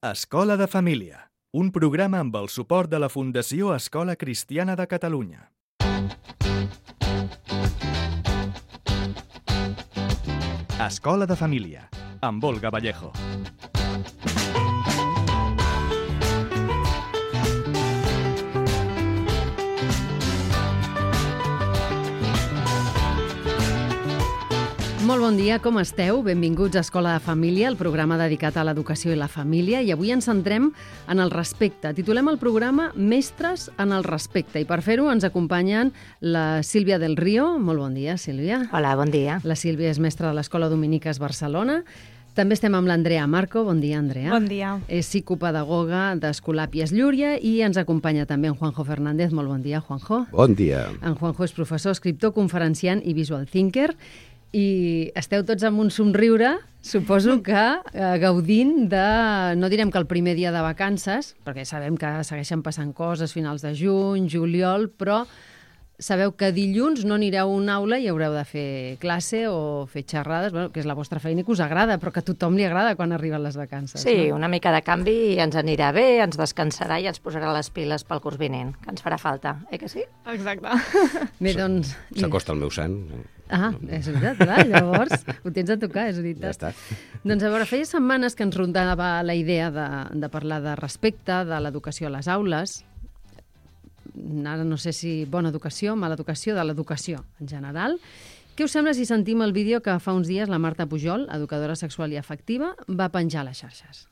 Escola de Família, un programa amb el suport de la Fundació Escola Cristiana de Catalunya. Escola de Família, amb Olga Vallejo. Molt bon dia, com esteu? Benvinguts a Escola de Família, el programa dedicat a l'educació i la família, i avui ens centrem en el respecte. Titulem el programa Mestres en el respecte, i per fer-ho ens acompanyen la Sílvia del Río. Molt bon dia, Sílvia. Hola, bon dia. La Sílvia és mestra de l'Escola Dominiques Barcelona. També estem amb l'Andrea Marco. Bon dia, Andrea. Bon dia. És psicopedagoga d'Escolàpies Llúria i ens acompanya també en Juanjo Fernández. Molt bon dia, Juanjo. Bon dia. En Juanjo és professor, escriptor, conferenciant i visual thinker. I esteu tots amb un somriure, suposo que gaudint de, no direm que el primer dia de vacances, perquè sabem que segueixen passant coses, finals de juny, juliol, però sabeu que dilluns no anireu a una aula i haureu de fer classe o fer xerrades, bueno, que és la vostra feina i que us agrada, però que a tothom li agrada quan arriben les vacances. Sí, no? Una mica de canvi ens anirà bé, ens descansarà i ens posarà les piles pel curs vinent, que ens farà falta, que sí? Exacte. Bé, doncs... S'acosta el meu sant. Ah, és veritat, clar, llavors ho tens a tocar, és veritat. Ja està. Doncs a veure, feia setmanes que ens rondava la idea de parlar de respecte, de l'educació a les aules. Ara no sé si bona educació, mala educació, de l'educació en general. Què us sembla si sentim el vídeo que fa uns dies la Marta Pujol, educadora sexual i afectiva, va penjar a les xarxes?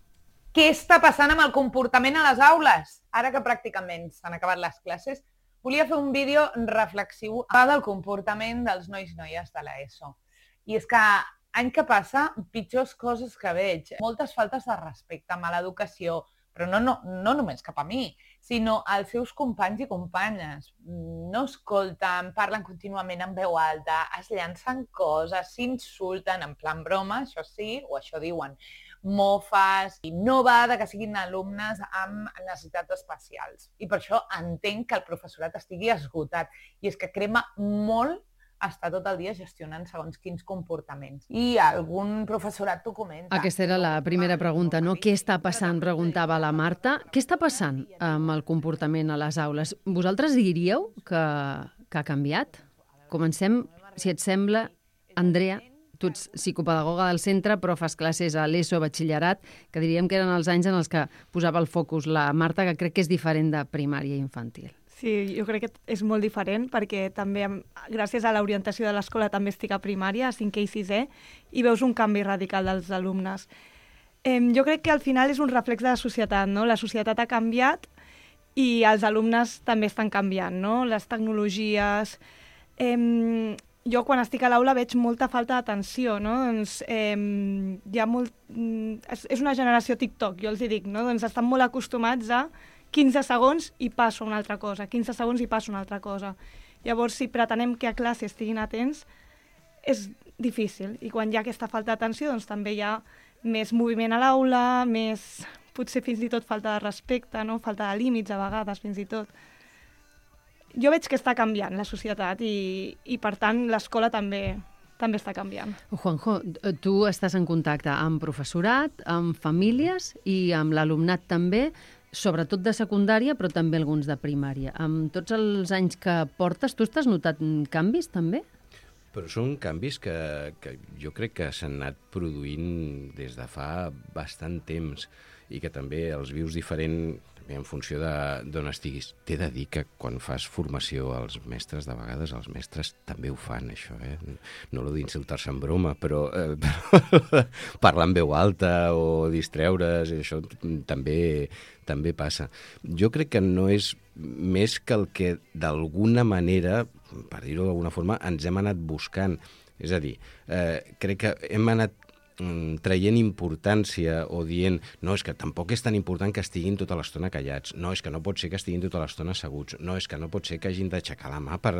Què està passant amb el comportament a les aules? Ara que pràcticament s'han acabat les classes, volia fer un vídeo reflexiu del comportament dels nois i noies de l'ESO. I és que any que passa, pitjors coses que veig. Moltes faltes de respecte, mala educació, però no només cap a mi, sinó als seus companys i companyes. No escolten, parlen contínuament en veu alta, es llancen coses, s'insulten en plan broma, això sí, o això diuen, mofes, i no va de que siguin alumnes amb necessitats especials. I per això entenc que el professorat estigui esgotat, i és que crema molt estar tot el dia gestionant segons quins comportaments. I algun professorat t'ho comenta. Aquesta era la primera pregunta, no? Què està passant? Preguntava la Marta. Què està passant amb el comportament a les aules? Vosaltres diríeu que ha canviat? Comencem, si et sembla, Andrea, tu ets psicopedagoga del centre, però fas classes a l'ESO, batxillerat, que diríem que eren els anys en els que posava el focus la Marta, que crec que és diferent de primària i infantil. Sí, jo crec que és molt diferent perquè també, gràcies a l'orientació de l'escola, també estic a primària, a 5è i 6è, i veus un canvi radical dels alumnes. Jo crec que al final és un reflex de la societat, no? La societat ha canviat i els alumnes també estan canviant, no? Les tecnologies... Jo quan estic a l'aula veig molta falta d'atenció, no? Doncs, hi ha molt... És una generació TikTok, jo els dic, no? Doncs estan molt acostumats a 15 segons i passo a una altra cosa, 15 segons i passo a una altra cosa. Llavors, si pretenem que a classe estiguin atents, és difícil. I quan hi ha aquesta falta d'atenció, doncs també hi ha més moviment a l'aula, més, potser fins i tot falta de respecte, no? Falta de límits a vegades, fins i tot. Jo veig que està canviant la societat i per tant, l'escola també està canviant. Juanjo, tu estàs en contacte amb professorat, amb famílies i amb l'alumnat també, sobretot de secundària, però també alguns de primària. Amb tots els anys que portes, tu estàs notat canvis també? Però són canvis que jo crec que s'han anat produint des de fa bastant temps i que també els vius diferent en funció d'on estiguis. T'he de dir que quan fas formació als mestres, de vegades els mestres també ho fan, això, No lo d'insultar-se en broma, però parlar en veu alta o distreure's, això també passa. Jo crec que no és més que el que d'alguna manera, per dir-ho d'alguna forma, ens hem anat buscant. És a dir, crec que hem anat traient importància o dient no, és que tampoc és tan important que estiguin tota l'estona callats, no, és que no pot ser que estiguin tota l'estona asseguts, no, és que no pot ser que hagin d'aixecar la mà per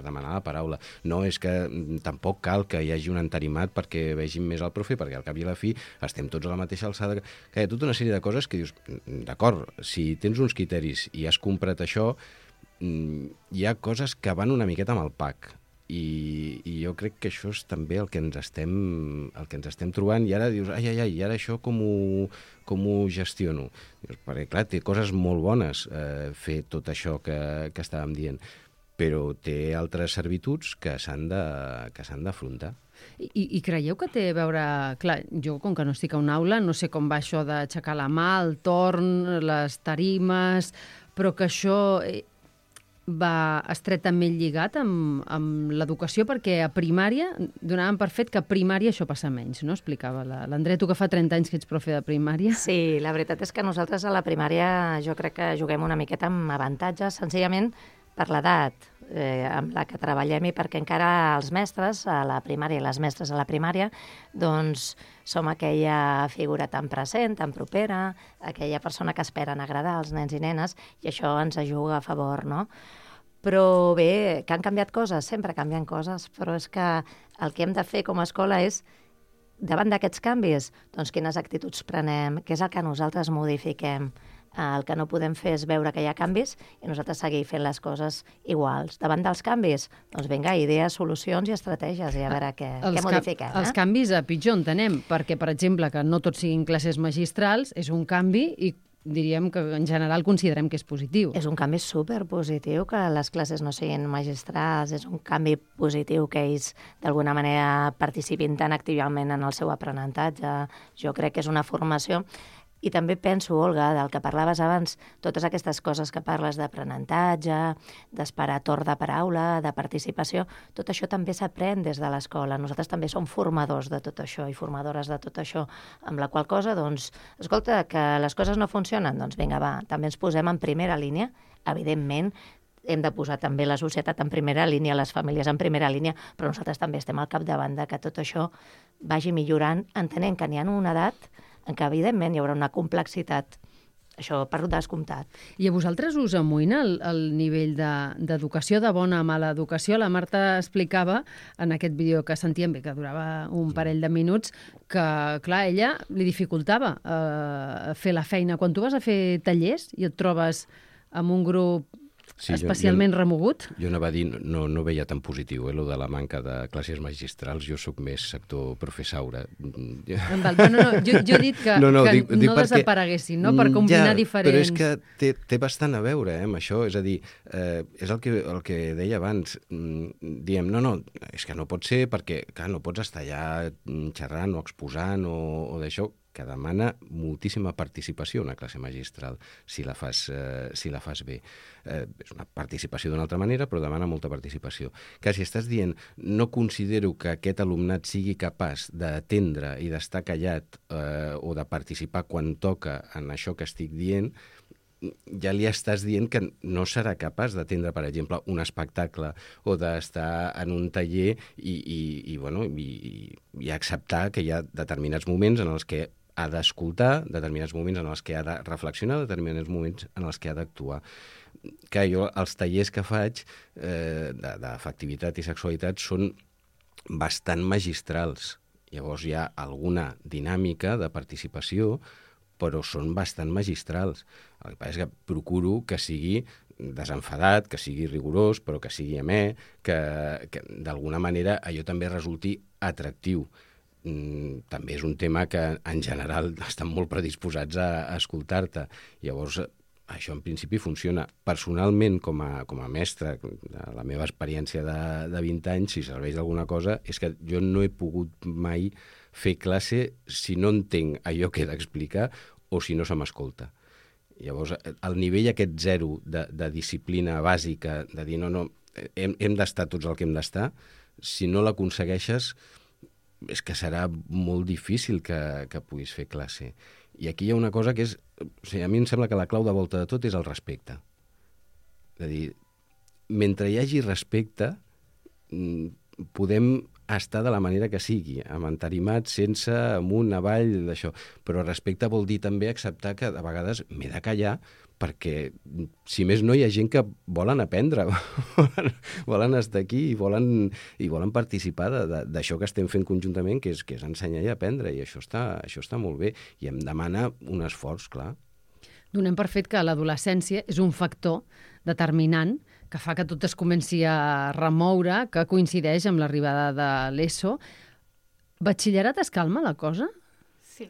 demanar la paraula, no, és que tampoc cal que hi hagi un entarimat perquè vegin més el profe, perquè al cap i a la fi estem tots a la mateixa alçada. Que hi ha tota una sèrie de coses que dius, d'acord, si tens uns criteris i has comprat això, hi ha coses que van una miqueta amb el pack. i jo crec que això és també el que ens estem trobant, i ara dius, i ara això com ho gestiono? Dius, perquè clar, té coses molt bones fer tot això que estàvem dient, però té altres servituds que s'han d'afrontar. I creieu que té a veure... Clar, jo, com que no estic a una aula, no sé com va això d'aixecar la mà, el torn, les tarimes, però que això va estretament lligat amb l'educació, perquè a primària donaven per fet que a primària això passa menys, no? Explicava l'Andrea, tu que fa 30 anys que ets profe de primària. Sí, la veritat és que nosaltres a la primària jo crec que juguem una miqueta amb avantatges, senzillament per l'edat amb la que treballem i perquè encara els mestres a la primària i les mestres a la primària doncs som aquella figura tan present, tan propera, aquella persona que esperen agradar als nens i nenes, i això ens ajuda a favor, no? Però bé, que han canviat coses, sempre canvien coses, però és que el que hem de fer com a escola és, davant d'aquests canvis, doncs quines actituds prenem, què és el que nosaltres modifiquem. El que no podem fer és veure que hi ha canvis i nosaltres seguir fent les coses iguals. Davant dels canvis, doncs vinga, idees, solucions i estratègies i a veure què modifiquem. Els canvis a pitjor entenem, perquè, per exemple, que no tots siguin classes magistrals és un canvi i diríem que en general considerem que és positiu. És un canvi superpositiu que les classes no siguin magistrals, és un canvi positiu que ells d'alguna manera participin tan activament en el seu aprenentatge. Jo crec que és una formació. I també penso, Olga, del que parlaves abans, totes aquestes coses que parles d'aprenentatge, d'esperar torn de paraula, de participació, tot això també s'aprèn des de l'escola. Nosaltres també som formadors de tot això i formadores de tot això, amb la qual cosa, doncs, escolta, que les coses no funcionen, doncs vinga, va, també ens posem en primera línia, evidentment, hem de posar també la societat en primera línia, les famílies en primera línia, però nosaltres també estem al capdavant de que tot això vagi millorant, entenent que n'hi ha una edat en què, evidentment, hi haurà una complexitat, això per descomptat. I a vosaltres us amoïna el nivell d'educació, de bona a mala educació? La Marta explicava en aquest vídeo que sentíem, que durava un parell de minuts, que, clar, ella li dificultava fer la feina. Quan tu vas a fer tallers i et trobes amb un grup especialment remogut? Jo anava a dir, no veia tan positiu, lo de la manca de classes magistrals. Jo sóc més sector professaura. Jo he dit que no desapareguessin, no? Per combinar diferents... Però és que té bastant a veure amb això. És a dir, és el que deia abans. Diem, no, és que no pot ser perquè, clar, no pots estar allà xerrant o exposant o d'això, que demana moltíssima participació una classe magistral, si la fas bé. És una participació d'una altra manera, però demana molta participació. Que si estàs dient, no considero que aquest alumnat sigui capaç d'atendre i d'estar callat o de participar quan toca en això que estic dient, ja li estàs dient que no serà capaç d'atendre, per exemple, un espectacle o d'estar en un taller i acceptar que hi ha determinats moments en els que ha d'escoltar, determinats moments en els que ha de reflexionar, determinats moments en els que ha d'actuar. Que jo, els tallers que faig d'afectivitat i sexualitat són bastant magistrals. Llavors hi ha alguna dinàmica de participació, però són bastant magistrals. El que passa és que procuro que sigui desenfadat, que sigui rigorós, però que sigui amè, que d'alguna manera allò també resulti atractiu. També és un tema que en general estan molt predisposats a escoltar-te. Llavors, això en principi funciona. Personalment, com a mestre, la meva experiència de 20 anys, si serveix d'alguna cosa, és que jo no he pogut mai fer classe si no entenc allò que he d'explicar o si no se m'escolta. Llavors, el nivell aquest zero de disciplina bàsica, de dir no, hem d'estar tots el que hem d'estar, si no l'aconsegueixes, és que serà molt difícil que puguis fer classe. I aquí hi ha una cosa que és... O sigui, a mi em sembla que la clau de volta de tot és el respecte. És a dir, mentre hi hagi respecte, podem estar de la manera que sigui, amb entarimat, sense, amunt, avall, d'això. Però respecte vol dir també acceptar que de vegades m'he de callar perquè, si més no, hi ha gent que volen aprendre, volen estar aquí i volen participar d'això que estem fent conjuntament, que és ensenyar i aprendre, i això està molt bé, i em demana un esforç, clar. Donem per fet que l'adolescència és un factor determinant que fa que tot es comenci a remoure, que coincideix amb l'arribada de l'ESO. Batxillerat es calma la cosa? Sí.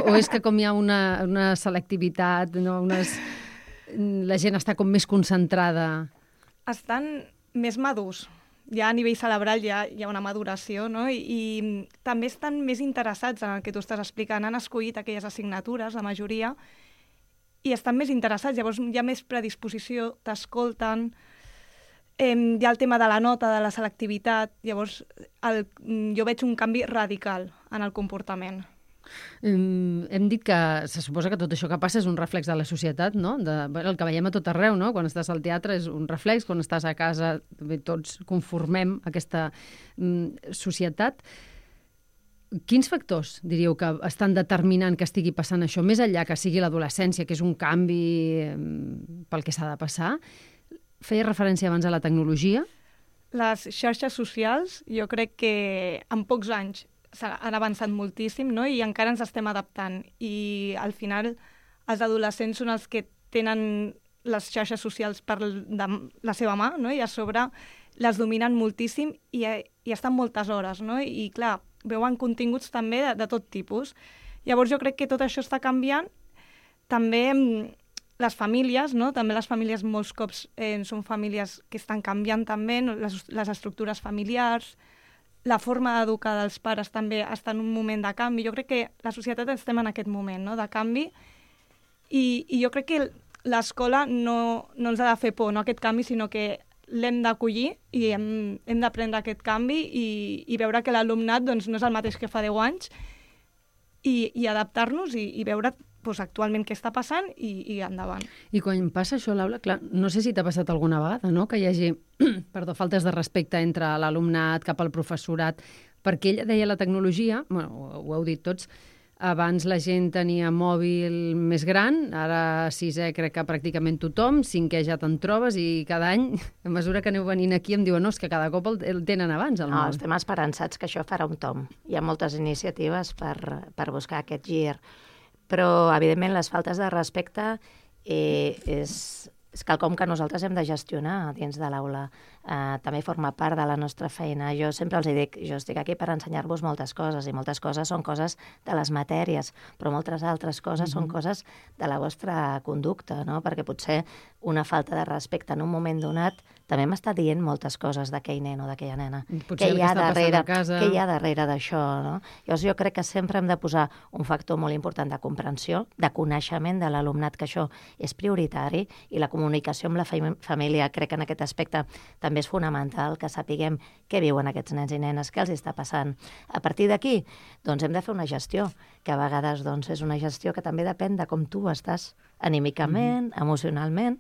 O és que com hi ha una selectivitat, no? La gent està com més concentrada? Estan més madurs. Ja a nivell cerebral hi ha una maduració, no? I també estan més interessats en el que tu estàs explicant. Han escollit aquelles assignatures, la majoria, i estan més interessats. Llavors hi ha més predisposició, t'escolten. Hi ha el tema de la nota, de la selectivitat. Llavors jo veig un canvi radical en el comportament. Hem dit que se suposa que tot això que passa és un reflex de la societat, no? El que veiem a tot arreu, no? Quan estàs al teatre és un reflex, quan estàs a casa tots conformem aquesta societat. Quins factors diríeu que estan determinant que estigui passant això, més enllà que sigui l'adolescència, que és un canvi pel que s'ha de passar? Feia referència abans a la tecnologia. Les xarxes socials, jo crec que en pocs anys han avançat moltíssim, no? I encara ens estem adaptant. I al final els adolescents són els que tenen les xarxes socials per la seva mà, no? I a sobre les dominen moltíssim i estan moltes hores, no? I clar, veuen continguts també de tot tipus. Llavors jo crec que tot això està canviant. També les famílies, no? També les famílies molts cops són famílies que estan canviant també, no? Les estructures familiars, la forma d'educar dels pares també està en un moment de canvi. Jo crec que la societat estem en aquest moment, no?, de canvi, i jo crec que l'escola no ens ha de fer por, no, aquest canvi, sinó que l'hem d'acollir i hem d'aprendre aquest canvi i veure que l'alumnat doncs, no és el mateix que fa 10 anys i adaptar-nos i veure actualment què està passant i endavant. I quan passa això a l'aula, clar, no sé si t'ha passat alguna vegada, no?, que hi hagi faltes de respecte entre l'alumnat cap al professorat, perquè ella deia la tecnologia, bueno, ho heu dit tots, abans la gent tenia mòbil més gran, ara 6è crec que pràcticament tothom, 5è ja te'n trobes i cada any, a mesura que aneu venint aquí, em diuen, no, és que cada cop el tenen abans, el mòbil. Estem esperançats que això farà un tomb. Hi ha moltes iniciatives per buscar aquest gir, però, evidentment, les faltes de respecte és quelcom que nosaltres hem de gestionar dins de l'aula. També forma part de la nostra feina. Jo sempre els dic, jo estic aquí per ensenyar-vos moltes coses, i moltes coses són coses de les matèries, però moltes altres coses són coses de la vostra conducta, no? Perquè potser una falta de respecte en un moment donat també m'està dient moltes coses d'aquell nen o d'aquella nena. Potser el que està passant a casa. Què hi ha darrere d'això, no? Llavors jo crec que sempre hem de posar un factor molt important de comprensió, de coneixement de l'alumnat, que això és prioritari, i la comunicació amb la família crec que en aquest aspecte també és fonamental, que sapiguem què viuen aquests nens i nenes, què els està passant. A partir d'aquí, doncs hem de fer una gestió, que a vegades doncs, és una gestió que també depèn de com tu estàs anímicament, emocionalment,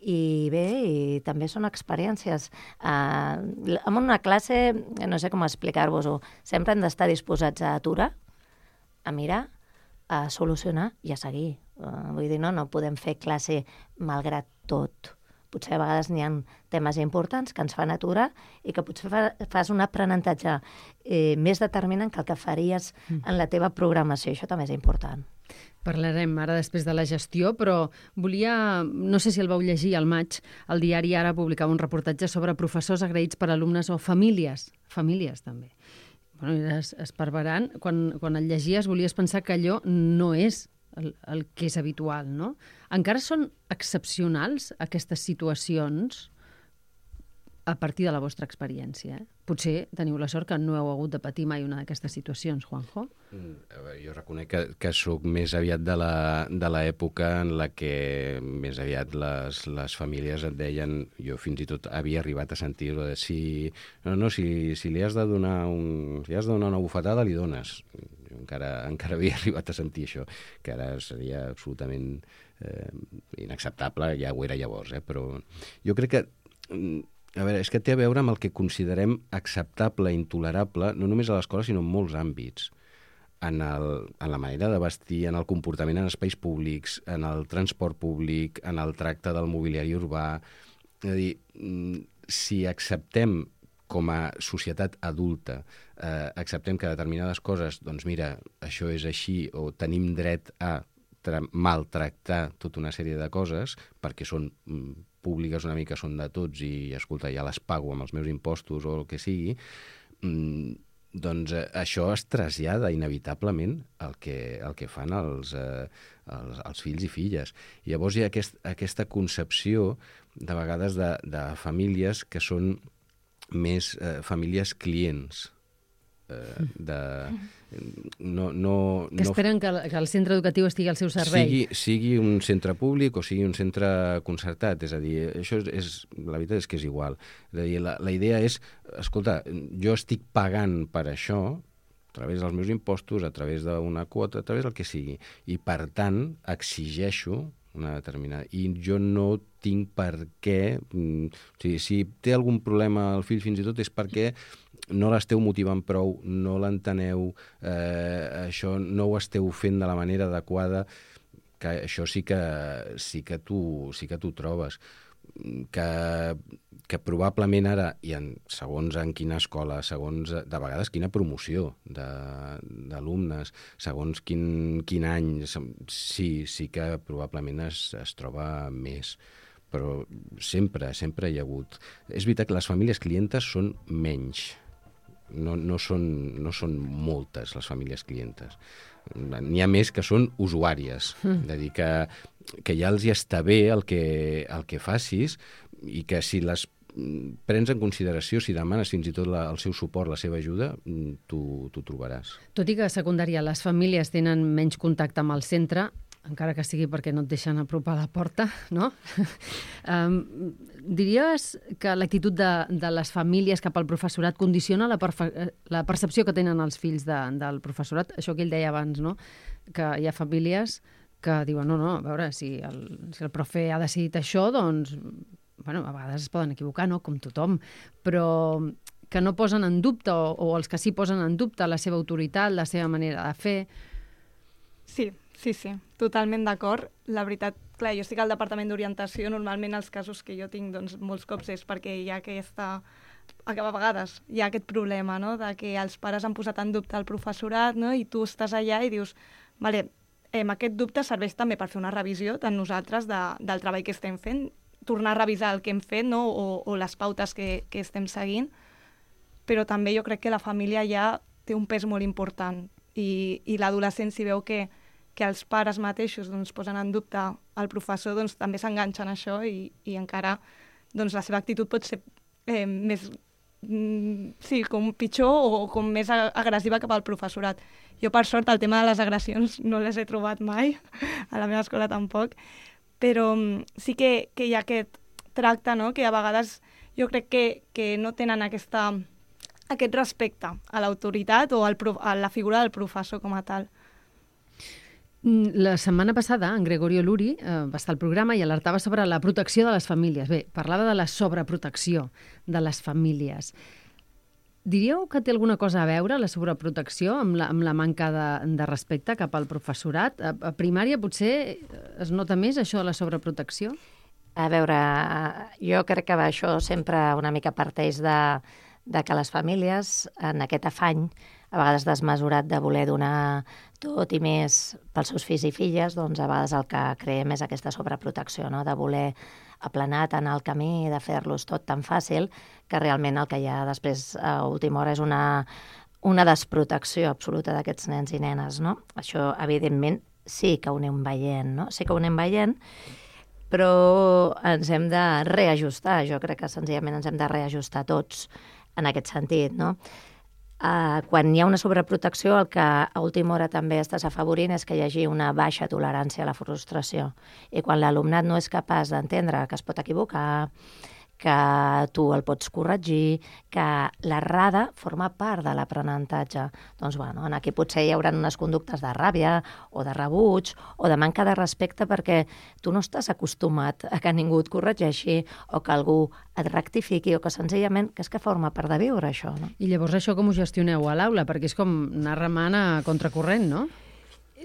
i bé, i també són experiències. En una classe, no sé com explicar-vos-ho, sempre hem d'estar disposats a aturar, a mirar, a solucionar i a seguir. Vull dir, no podem fer classe malgrat tot. Potser a vegades n'hi ha temes importants que ens fan aturar i que potser fas un aprenentatge més determinant que el que faries en la teva programació. Això també és important. Parlarem ara després de la gestió, però volia, no sé si el vau llegir al maig, el diari Ara publicava un reportatge sobre professors agraïts per alumnes o famílies també. Bueno, era esparverant. Quan el llegies volies pensar que allò no és el que és habitual, no? Encara són excepcionals aquestes situacions a partir de la vostra experiència. Potser teniu la sort que no heu hagut de patir mai una d'aquestes situacions, Juanjo. Jo reconec que sóc més aviat de l'època en la que més aviat les famílies et deien, jo fins i tot havia arribat a sentir-ho de si li has de donar una bufetada, li dones. Jo encara havia arribat a sentir això, que ara seria absolutament inacceptable, ja ho era llavors, però jo crec que a veure, és que té a veure amb el que considerem acceptable, intolerable, no només a l'escola, sinó en molts àmbits. En la manera de vestir, en el comportament en espais públics, en el transport públic, en el tracte del mobiliari urbà. És a dir, si acceptem com a societat adulta, acceptem que determinades coses, doncs mira, això és així, o tenim dret a maltractar tota una sèrie de coses perquè són públiques una mica, són de tots i, escolta, ja les pago amb els meus impostos o el que sigui, doncs això es trasllada inevitablement al que fan els fills i filles. I llavors hi ha aquesta concepció, de vegades, de famílies que són més famílies clients. Que esperen que el centre educatiu estigui al seu servei. Sigui un centre públic o sigui un centre concertat, és a dir, això la veritat és que és igual. És a dir, la idea és, escolta, jo estic pagant per això a través dels meus impostos, a través d'una quota, a través del que sigui, i per tant exigeixo una determinada... I jo no tinc per què... O sigui, si té algun problema el fill fins i tot és perquè no l'esteu motivant prou, no l'enteneu, això no ho esteu fent de la manera adequada, que això sí que tu trobes. Que probablement ara, segons en quina escola, segons de vegades quina promoció d'alumnes, segons quin any, sí que probablement es troba més. Però sempre hi ha hagut. És veritat que les famílies clientes són menys. No són moltes les famílies clientes. N'hi ha més que són usuàries. És a dir, que ja els hi està bé el que facis i que si les prens en consideració, si demanes fins i tot el seu suport, la seva ajuda, t'ho trobaràs. Tot i que a secundària les famílies tenen menys contacte amb el centre, encara que sigui perquè no et deixen apropar a la porta, no? Diries que l'actitud de les famílies cap al professorat condiciona la percepció que tenen els fills del professorat? Això que ell deia abans, no? Que hi ha famílies que diuen, no, a veure, si el profe ha decidit això, doncs, bueno, a vegades es poden equivocar, no?, com tothom, però que no posen en dubte, o els que sí posen en dubte la seva autoritat, la seva manera de fer. Sí, totalment d'acord. La veritat, clar, jo estic al departament d'orientació, normalment els casos que jo tinc, doncs, molts cops és perquè hi ha a vegades hi ha aquest problema, no?, de que els pares han posat en dubte el professorat, no?, i tu estàs allà i dius, vale, aquest dubte serveix també per fer una revisió de nosaltres del treball que estem fent, tornar a revisar el que hem fet, no?, o les pautes que estem seguint, però també jo crec que la família ja té un pes molt important i l'adolescent, si veu que els pares mateixos doncs, posen en dubte el professor, doncs també s'enganxen a això i encara doncs, la seva actitud pot ser més com pitjor o com més agressiva cap al professorat. Jo, per sort, el tema de les agressions no les he trobat mai, a la meva escola tampoc, però sí que hi ha aquest tracte, no?, que a vegades jo crec que no tenen aquest respecte a l'autoritat o a la figura del professor com a tal. La setmana passada, en Gregorio Luri va estar al programa i alertava sobre la protecció de les famílies. Bé, parlava de la sobreprotecció de les famílies. Diríeu que té alguna cosa a veure la sobreprotecció amb la manca de respecte cap al professorat? A primària potser es nota més això de la sobreprotecció? A veure, jo crec que això sempre una mica parteix de que les famílies, en aquest afany, a vegades desmesurat de voler donar tot i més pels seus fills i filles, doncs a vegades el que creem és aquesta sobreprotecció, no?, de voler aplanar tant el camí, de fer-los tot tan fàcil, que realment el que hi ha després a última hora és una desprotecció absoluta d'aquests nens i nenes, no? Això, evidentment, sí que ho anem veient, no? Sí que ho anem veient, però ens hem de reajustar. Jo crec que senzillament ens hem de reajustar tots en aquest sentit, no? Quan hi ha una sobreprotecció, el que a última hora també estàs afavorint és que hi hagi una baixa tolerància a la frustració. I quan l'alumnat no és capaç d'entendre que es pot equivocar, que tu el pots corregir, que l'errada forma part de l'aprenentatge. Doncs, bueno, aquí potser hi haurà unes conductes de ràbia o de rebuig o de manca de respecte perquè tu no estàs acostumat a que ningú et corregeixi o que algú et rectifiqui o que senzillament que és que forma part de viure això, no? I llavors això com ho gestioneu a l'aula? Perquè és com anar remant a contracorrent, no?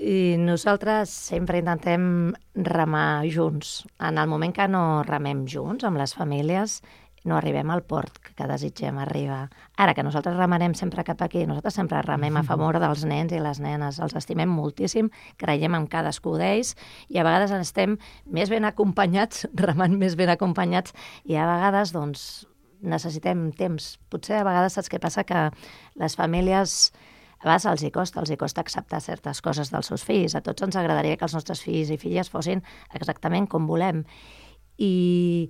I nosaltres sempre intentem remar junts. En el moment que no remem junts amb les famílies no arribem al port que desitgem arribar. Ara, que nosaltres remarem sempre cap aquí, nosaltres sempre remem a favor dels nens i les nenes, els estimem moltíssim, creiem en cadascú d'ells i a vegades estem més ben acompanyats, remant més ben acompanyats i a vegades, doncs, necessitem temps. Potser a vegades saps què passa? Que les famílies a vegades els hi costa acceptar certes coses dels seus fills. A tots ens agradaria que els nostres fills i filles fossin exactament com volem. I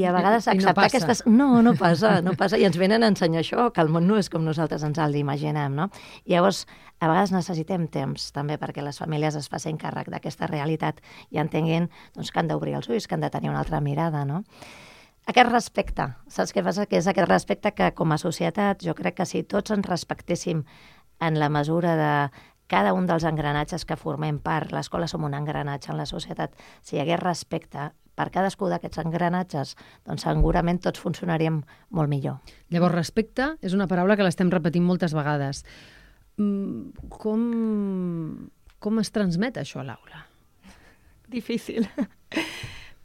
a vegades acceptar aquestes... No passa. I ens venen a ensenyar això, que el món no és com nosaltres ens l'imaginem, no? I llavors, a vegades necessitem temps, també, perquè les famílies es facin càrrec d'aquesta realitat i entenguin doncs, que han d'obrir els ulls, que han de tenir una altra mirada, no? Aquest respecte, saps què passa? Que és aquest respecte que, com a societat, jo crec que si tots ens respectéssim en la mesura de cada un dels engranatges que formem part, l'escola som un engranatge en la societat, si hi hagués respecte per cadascú d'aquests engranatges, doncs segurament tots funcionaríem molt millor. Llavors, respecte és una paraula que l'estem repetint moltes vegades. Com es transmet això a l'aula? Difícil.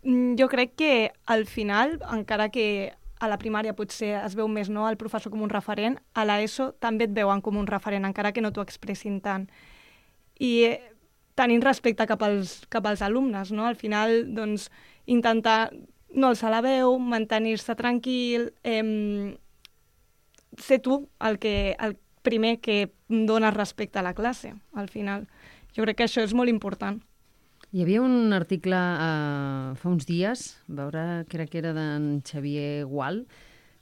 Jo crec que al final, encara que a la primària potser es veu més el professor com un referent, a l'ESO també et veuen com un referent, encara que no t'ho expressin tant. I tenint respecte cap als alumnes, no? Al final, doncs, intentar no alçar la veu, mantenir-se tranquil, ser tu el primer que dones respecte a la classe, al final. Jo crec que això és molt important. Hi havia un article fa uns dies, veure, crec que era d'en Xavier Gual,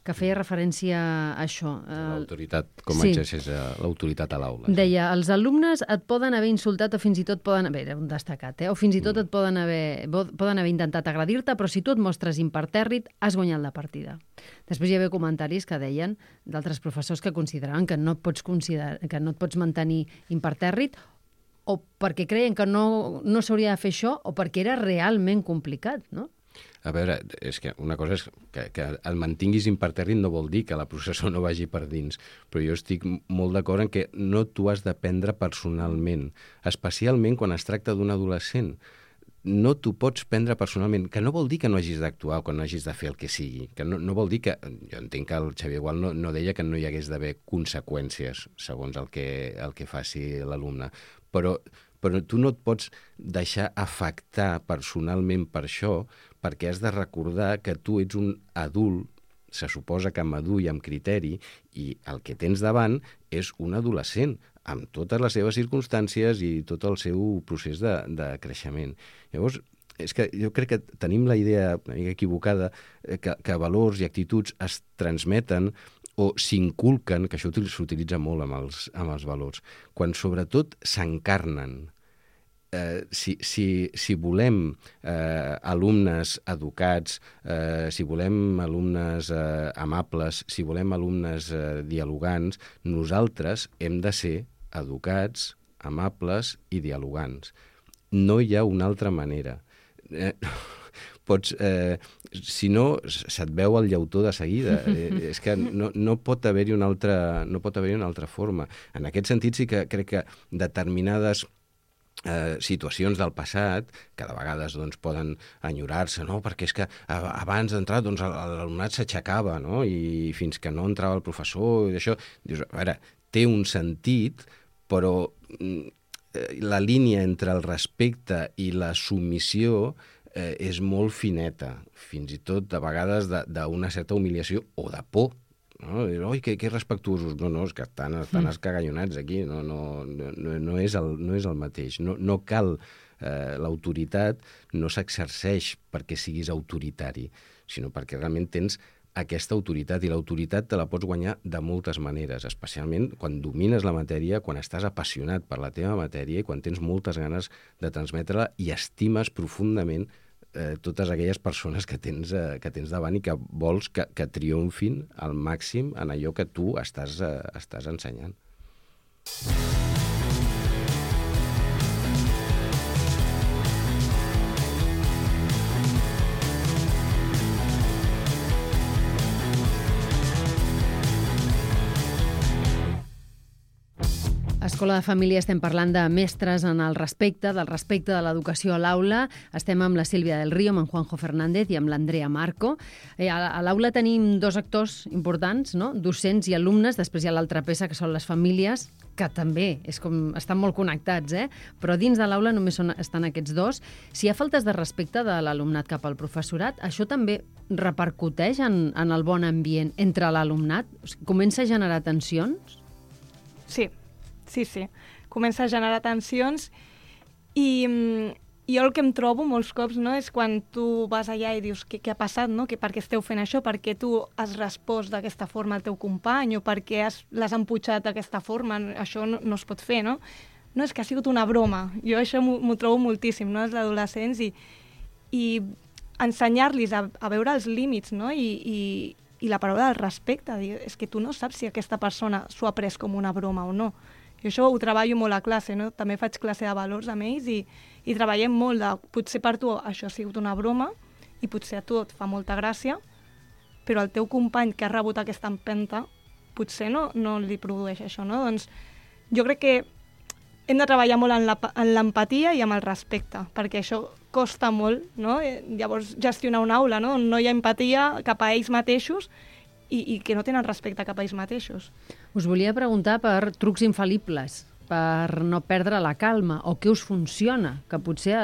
que feia referència a això. L'autoritat, com exerceix l'autoritat a l'aula. Deia, els alumnes et poden haver insultat o fins i tot poden haver, era un destacat, o fins i tot et poden haver intentat agredir-te, però si tu et mostres impertèrrit, has guanyat la partida. Després hi havia comentaris que deien d'altres professors que consideraven que no et pots mantenir impertèrrit o perquè creien que no s'hauria de fer això o perquè era realment complicat, no? A veure, és que una cosa és que el mantinguis impertèrrit no vol dir que la processó no vagi per dins, però jo estic molt d'acord en que no t'ho has de prendre personalment, especialment quan es tracta d'un adolescent. No t'ho pots prendre personalment, que no vol dir que no hagis d'actuar o que no hagis de fer el que sigui, que no vol dir que... Jo entenc que el Xavier Gual no deia que no hi hagués d'haver conseqüències segons el que faci l'alumne, però tu no et pots deixar afectar personalment per això, perquè has de recordar que tu ets un adult, se suposa que madur i amb criteri, i el que tens davant és un adolescent, amb totes les seves circumstàncies i tot el seu procés de creixement. Llavors, és que jo crec que tenim la idea una mica equivocada que valors i actituds es transmeten o s'inculquen, que això s'utilitza molt amb els valors, quan sobretot s'encarnen. Si volem alumnes educats, si volem alumnes amables, si volem alumnes dialogants, nosaltres hem de ser educats, amables i dialogants. No hi ha una altra manera. Si no, se't veu el llautó de seguida. És que no pot haver-hi una altra forma. En aquest sentit sí que crec que determinades situacions del passat, que de vegades poden enyorar-se, no? Perquè és que abans d'entrar l'alumnat s'aixecava, no? I fins que no entrava el professor i això, dius, a veure, té un sentit, però la línia entre el respecte i la submissió és molt fineta, fins i tot a vegades d'una certa humiliació o de por. No? Oi, que respectuosos. No, és que estan escagallonats aquí, no és el mateix. No cal, l'autoritat no s'exerceix perquè siguis autoritari, sinó perquè realment tens aquesta autoritat, i l'autoritat te la pots guanyar de moltes maneres, especialment quan domines la matèria, quan estàs apassionat per la teva matèria i quan tens moltes ganes de transmetre-la i estimes profundament totes aquelles persones que tens davant i que vols que triomfin al màxim en allò que tu estàs ensenyant. l'Escola de Família estem parlant de mestres en el respecte, del respecte de l'educació a l'aula. Estem amb la Sílvia del Río, amb en Juanjo Fernández i amb l'Andrea Marco. A l'aula tenim dos actors importants, no? Docents i alumnes. Després hi ha l'altra peça, que són les famílies, que també estan molt connectats, però dins de l'aula només estan aquests dos. Si hi ha faltes de respecte de l'alumnat cap al professorat, això també repercuteix en el bon ambient entre l'alumnat? Comença a generar tensions? Sí. Comença a generar tensions i jo el que em trobo molts cops, no, és quan tu vas allà i dius què ha passat, no? Per què esteu fent això? Per què tu has respost d'aquesta forma al teu company o per què l'has emputxat d'aquesta forma? Això no es pot fer, no? No, és que ha sigut una broma. Jo això m'ho trobo moltíssim, no?, els adolescents i ensenyar-los a veure els límits, no? I la paraula del respecte, és que tu no saps si aquesta persona s'ho ha pres com una broma o no. Jo això ho treballo molt a classe, no? També faig classe de valors amb ells i treballem molt de... Potser per tu això ha sigut una broma i potser a tu et fa molta gràcia, però el teu company que ha rebut aquesta empenta potser no li produeix això, no? Doncs jo crec que hem de treballar molt en l'empatia i amb el respecte, perquè això costa molt, no? Llavors gestionar una aula, no? No hi ha empatia cap a ells mateixos i que no tenen respecte cap a ells mateixos. Us volia preguntar per trucs infal·libles, per no perdre la calma, o què us funciona, que potser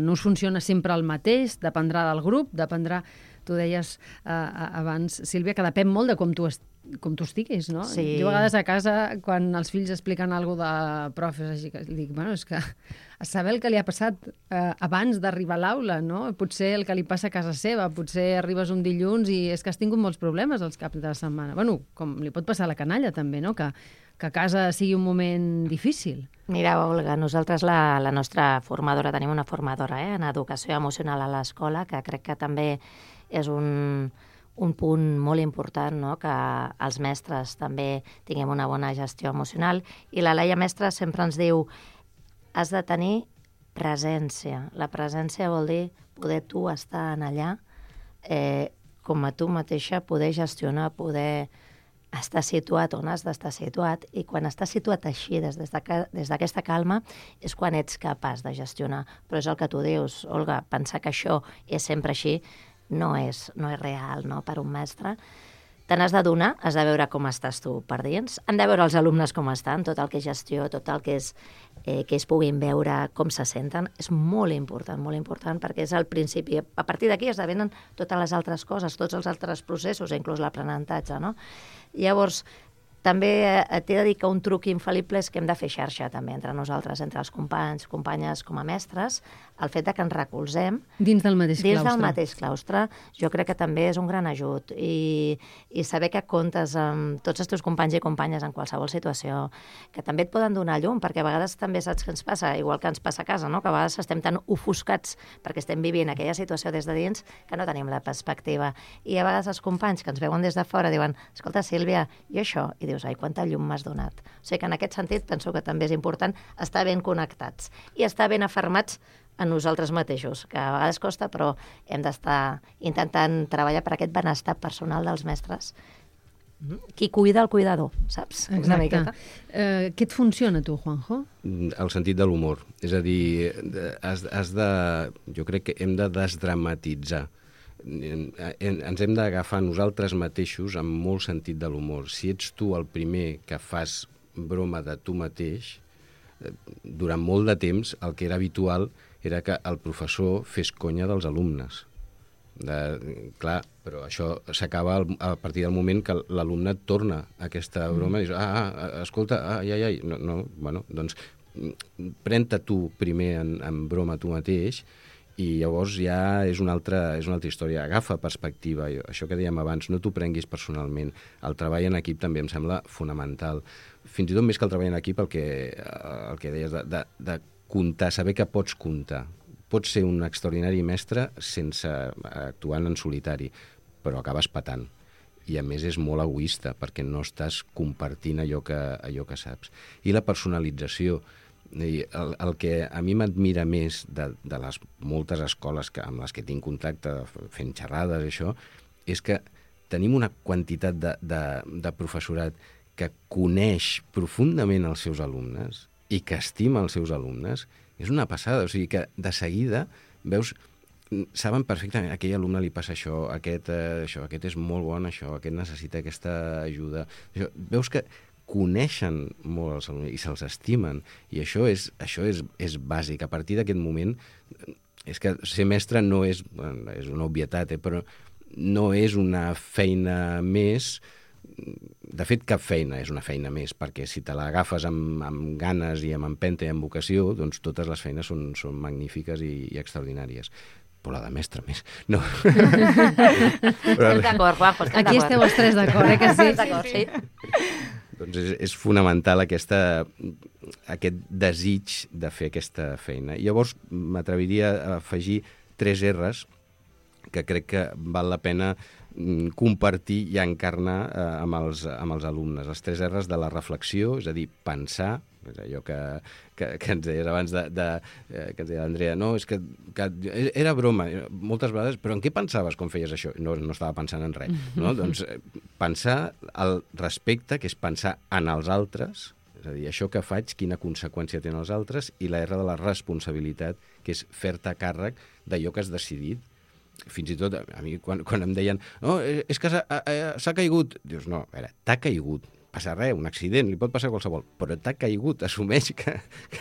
no us funciona sempre el mateix, dependrà del grup, dependrà... Tu deies abans, Sílvia, que depèn molt de com tu estiguis, no? Sí. Jo a vegades a casa, quan els fills expliquen alguna cosa de profes, així que dic, bueno, és que saber el que li ha passat abans d'arribar a l'aula, no? Potser el que li passa a casa seva, potser arribes un dilluns i és que has tingut molts problemes els caps de la setmana. Bueno, com li pot passar a la canalla també, no? Que a casa sigui un moment difícil. Mira, Olga, nosaltres la nostra formadora, tenim una formadora en educació emocional a l'escola, que crec que també és un punt molt important, no?, que els mestres també tinguem una bona gestió emocional. I la Laia mestra sempre ens diu has de tenir presència. La presència vol dir poder tu estar en allà com a tu mateixa, poder gestionar, poder estar situat on has d'estar situat, i quan estàs situat així, des d'aquesta calma, és quan ets capaç de gestionar. Però és el que tu dius, Olga, pensar que això és sempre així no és real, no?, per un mestre. Te n'has de donar, has de veure com estàs tu per dins, han de veure els alumnes com estan, tot el que és gestió, tot el que és que ells puguin veure com se senten, és molt important, perquè és el principi. A partir d'aquí esdevenen totes les altres coses, tots els altres processos, inclús l'aprenentatge, no? Llavors, també t'he de dir que un truc infal·lible és que hem de fer xarxa també entre nosaltres, entre els companys, companyes com a mestres, el fet de que ens recolzem dins del mateix claustre. Dins del mateix claustre, jo crec que també és un gran ajut. I saber que comptes amb tots els teus companys i companyes en qualsevol situació, que també et poden donar llum, perquè a vegades també saps què ens passa, igual que ens passa a casa, no?, que a vegades estem tan ofuscats perquè estem vivint aquella situació des de dins que no tenim la perspectiva. I a vegades els companys que ens veuen des de fora diuen, escolta, Sílvia, i això? I dius, ai, quanta llum m'has donat. O sigui que en aquest sentit penso que també és important estar ben connectats i estar ben afermats a nosaltres mateixos, que a vegades costa, però hem d'estar intentant treballar per aquest benestar personal dels mestres. Qui cuida el cuidador, saps? Exacte. Una miqueta. Què et funciona a tu, Juanjo? El sentit de l'humor. És a dir, jo crec que hem de desdramatitzar. Ens hem d'agafar nosaltres mateixos amb molt sentit de l'humor. Si ets tu el primer que fas broma de tu mateix, durant molt de temps el que era habitual era que el professor fes conya dels alumnes. Clar, però això s'acaba a partir del moment que l'alumne torna a aquesta broma i dius, escolta, ai, no, bueno, doncs pren-te tu primer en broma tu mateix i llavors ja és una altra història. Agafa perspectiva. Això que dèiem abans, no t'ho prenguis personalment. El treball en equip també em sembla fonamental. Fins i tot més que el treball en equip, el que deies de comptar, saber que pots comptar. Pots ser un extraordinari mestre sense actuar en solitari, però acabes patant. I a més és molt egoista, perquè no estàs compartint allò que saps. I la personalització. El que a mi m'admira més de les moltes escoles amb les que tinc contacte fent xerrades i això, és que tenim una quantitat de professorat que coneix profundament els seus alumnes i que estima els seus alumnes, és una passada. O sigui que de seguida veus, saben perfectament, a aquell alumne li passa això, aquest és molt bon, això, aquest necessita aquesta ajuda. Veus que coneixen molt els alumnes i se'ls estimen, i això és bàsic. A partir d'aquest moment, és que ser mestre no és una obvietat, però no és una feina més. De fet, cap feina és una feina més, perquè si te l'agafes amb ganes i amb empenta i amb vocació, doncs totes les feines són magnífiques i extraordinàries. Però la de mestre més. No. Estem d'acord, Juanjo, estem d'acord. Aquí esteu els tres d'acord, que sí? D'acord, sí. Doncs és fonamental aquest desig de fer aquesta feina. Llavors, m'atreviria a afegir 3 R's que crec que val la pena compartir i encarnar amb els alumnes. Els 3 R's de la reflexió, és a dir, pensar, és allò que ens deies abans que ens deia l'Andrea, no, és que era broma, moltes vegades, però en què pensaves quan feies això? No estava pensant en res. No? Doncs pensar el respecte, que és pensar en els altres, és a dir, això que faig, quina conseqüència tenen els altres, i la R de la responsabilitat, que és fer-te càrrec d'allò que has decidit. Fins i tot, a mi, quan em deien no, és que s'ha caigut, dius, no, a veure, t'ha caigut, passa res, un accident, li pot passar a qualsevol, però t'ha caigut, assumeix que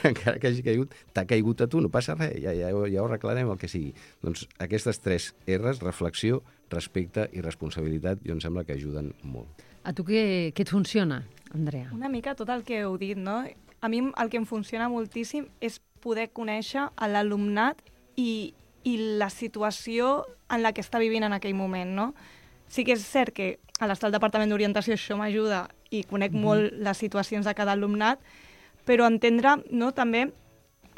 encara que hagi caigut, t'ha caigut a tu, no passa res, ja ho arreglarem, el que sigui. Doncs aquestes 3 R's, reflexió, respecte i responsabilitat, jo em sembla que ajuden molt. A tu què et funciona, Andrea? Una mica tot el que heu dit, no? A mi el que em funciona moltíssim és poder conèixer l'alumnat i la situació en la que està vivint en aquell moment, no? Sí que és cert que a l'estar al Departament d'Orientació això m'ajuda i conec molt les situacions de cada alumnat, però entendre, no, també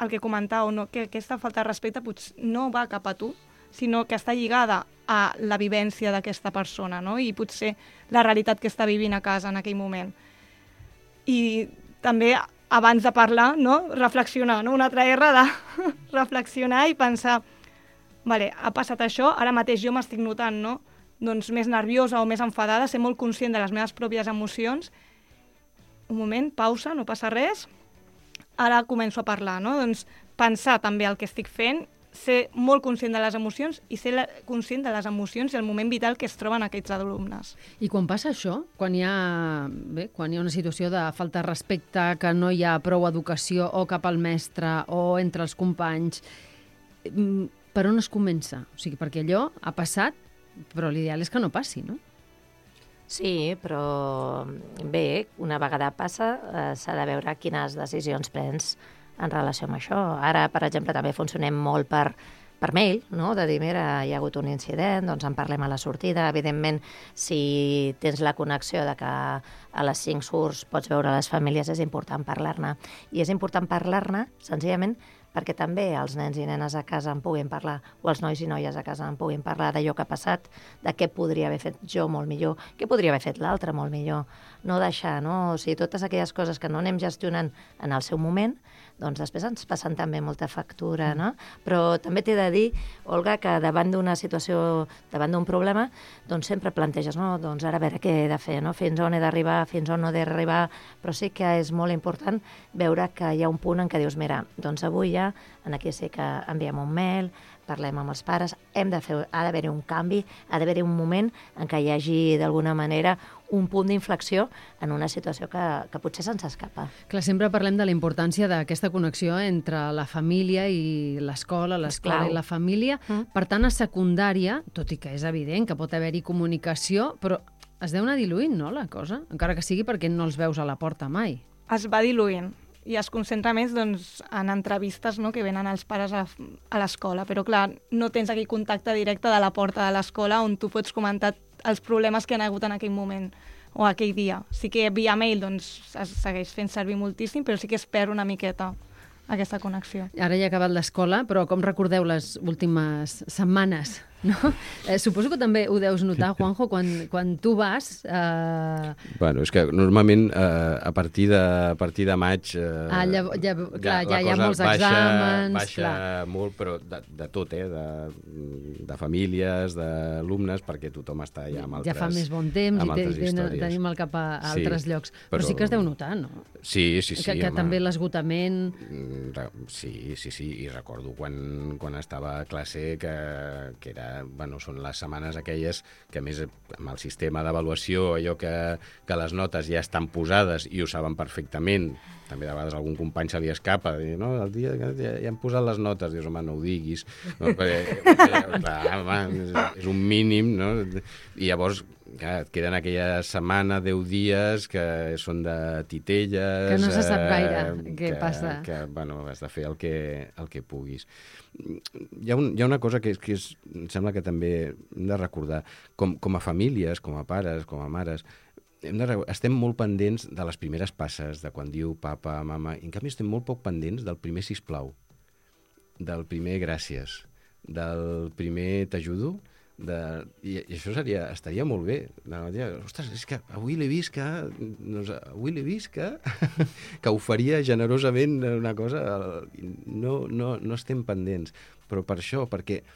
el que comentàveu, no, que aquesta falta de respecte potser no va cap a tu, sinó que està lligada a la vivència d'aquesta persona, no? I potser la realitat que està vivint a casa en aquell moment. I també, abans de parlar, no, reflexionar, no? Una altra R de reflexionar i pensar vale, ha passat això, ara mateix jo m'estic notant, no? Doncs més nerviosa o més enfadada, ser molt conscient de les meves pròpies emocions. Un moment, pausa, no passa res. Ara començo a parlar, no? Doncs pensar també el que estic fent, ser molt conscient de les emocions i ser conscient de les emocions i el moment vital que es troben aquests alumnes. I quan passa això, quan hi ha una situació de falta de respecte, que no hi ha prou educació o cap al mestre o entre els companys, per on es comença? O sigui, perquè allò ha passat, però l'ideal és que no passi, no? Sí, però bé, una vegada passa, s'ha de veure quines decisions prens en relació amb això. Ara, per exemple, també funcionem molt per mail, no? De dir, mira, hi ha hagut un incident, doncs en parlem a la sortida. Evidentment, si tens la connexió de que a les 5 surts pots veure les famílies, és important parlar-ne. I és important parlar-ne, senzillament, perquè també els nens i nenes a casa en puguin parlar, o els nois i noies a casa en puguin parlar d'allò que ha passat, de què podria haver fet jo molt millor, què podria haver fet l'altre molt millor. No deixar, no? O sigui, totes aquelles coses que no anem gestionant en el seu moment, doncs després ens passen també molta factura, no? Però també t'he de dir, Olga, que davant d'una situació, davant d'un problema, doncs sempre planteges, no? Doncs ara a veure què he de fer, no? Fins on he d'arribar, fins on no he d'arribar, però sí que és molt important veure que hi ha un punt en què dius, mira, doncs avui ja, aquí sí que enviem un mail, parlem amb els pares, ha d'haver-hi un canvi, ha d'haver-hi un moment en què hi hagi, d'alguna manera, un punt d'inflexió en una situació que potser se'ns escapa. Clar, sempre parlem de la importància d'aquesta connexió entre la família i l'escola i la família. Per tant, a secundària, tot i que és evident que pot haver-hi comunicació, però es deu anar diluint, no, la cosa? Encara que sigui perquè no els veus a la porta mai. Es va diluint i es concentra més doncs, en entrevistes, no?, que venen els pares a l'escola. Però, clar, no tens aquell contacte directe de la porta de l'escola on tu pots comentar els problemes que han hagut en aquell moment o aquell dia. Sí que via mail doncs, es segueix fent servir moltíssim, però sí que es perd una miqueta aquesta connexió. Ara ja ha acabat l'escola, però com recordeu les últimes setmanes No? Suposo que també ho deus notar, Juanjo, quan tu vas... Bueno, és que normalment a partir de maig ja hi ha molts exàmens... Baixa molt, però de tot, de famílies, d'alumnes, perquè tothom està ja amb altres... Ja fa més bon temps i tenim el cap a altres llocs. Però sí que es deu notar, no? Sí, que també l'esgotament... Sí, i recordo quan estava a classe que era, bueno, són les setmanes aquelles que, a més, amb el sistema d'avaluació, allò que les notes ja estan posades i ho saben perfectament, també de vegades algun company se li escapa, dir, no, el dia que ja han posat les notes, dius, home, no ho diguis, no? És un mínim, no? I llavors et queden aquella setmana, 10 dies, que són de titelles... Que no se sap gaire què passa. Que, bueno, has de fer el que puguis. Hi ha una cosa que em sembla que també hem de recordar. Com a famílies, com a pares, com a mares, estem molt pendents de les primeres passes, de quan diu papa, mama, i en canvi estem molt poc pendents del primer sisplau, del primer gràcies, del primer t'ajudo, i això estaria molt bé. Ostres, és que avui l'he vist que ho faria generosament una cosa. No estem pendents. Però per això, perquè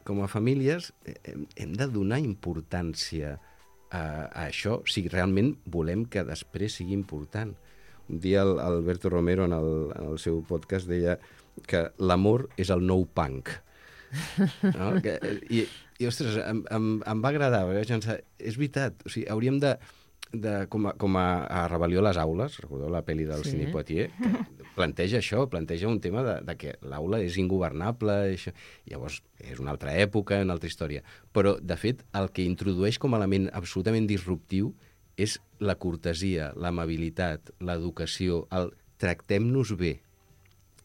com a famílies hem de donar importància a això si realment volem que després sigui important. Un dia Alberto Romero en el seu podcast deia que l'amor és el nou punk. No? I ostres, em va agradar, és veritat, o sigui, hauríem de com a Rebel·lió a les aules, recordeu la pel·li del Sidney Poitier, que planteja això, planteja un tema de que l'aula és ingovernable, això. Llavors és una altra època, una altra història, però de fet el que introdueix com a element absolutament disruptiu és la cortesia, l'amabilitat, l'educació, el tractem-nos bé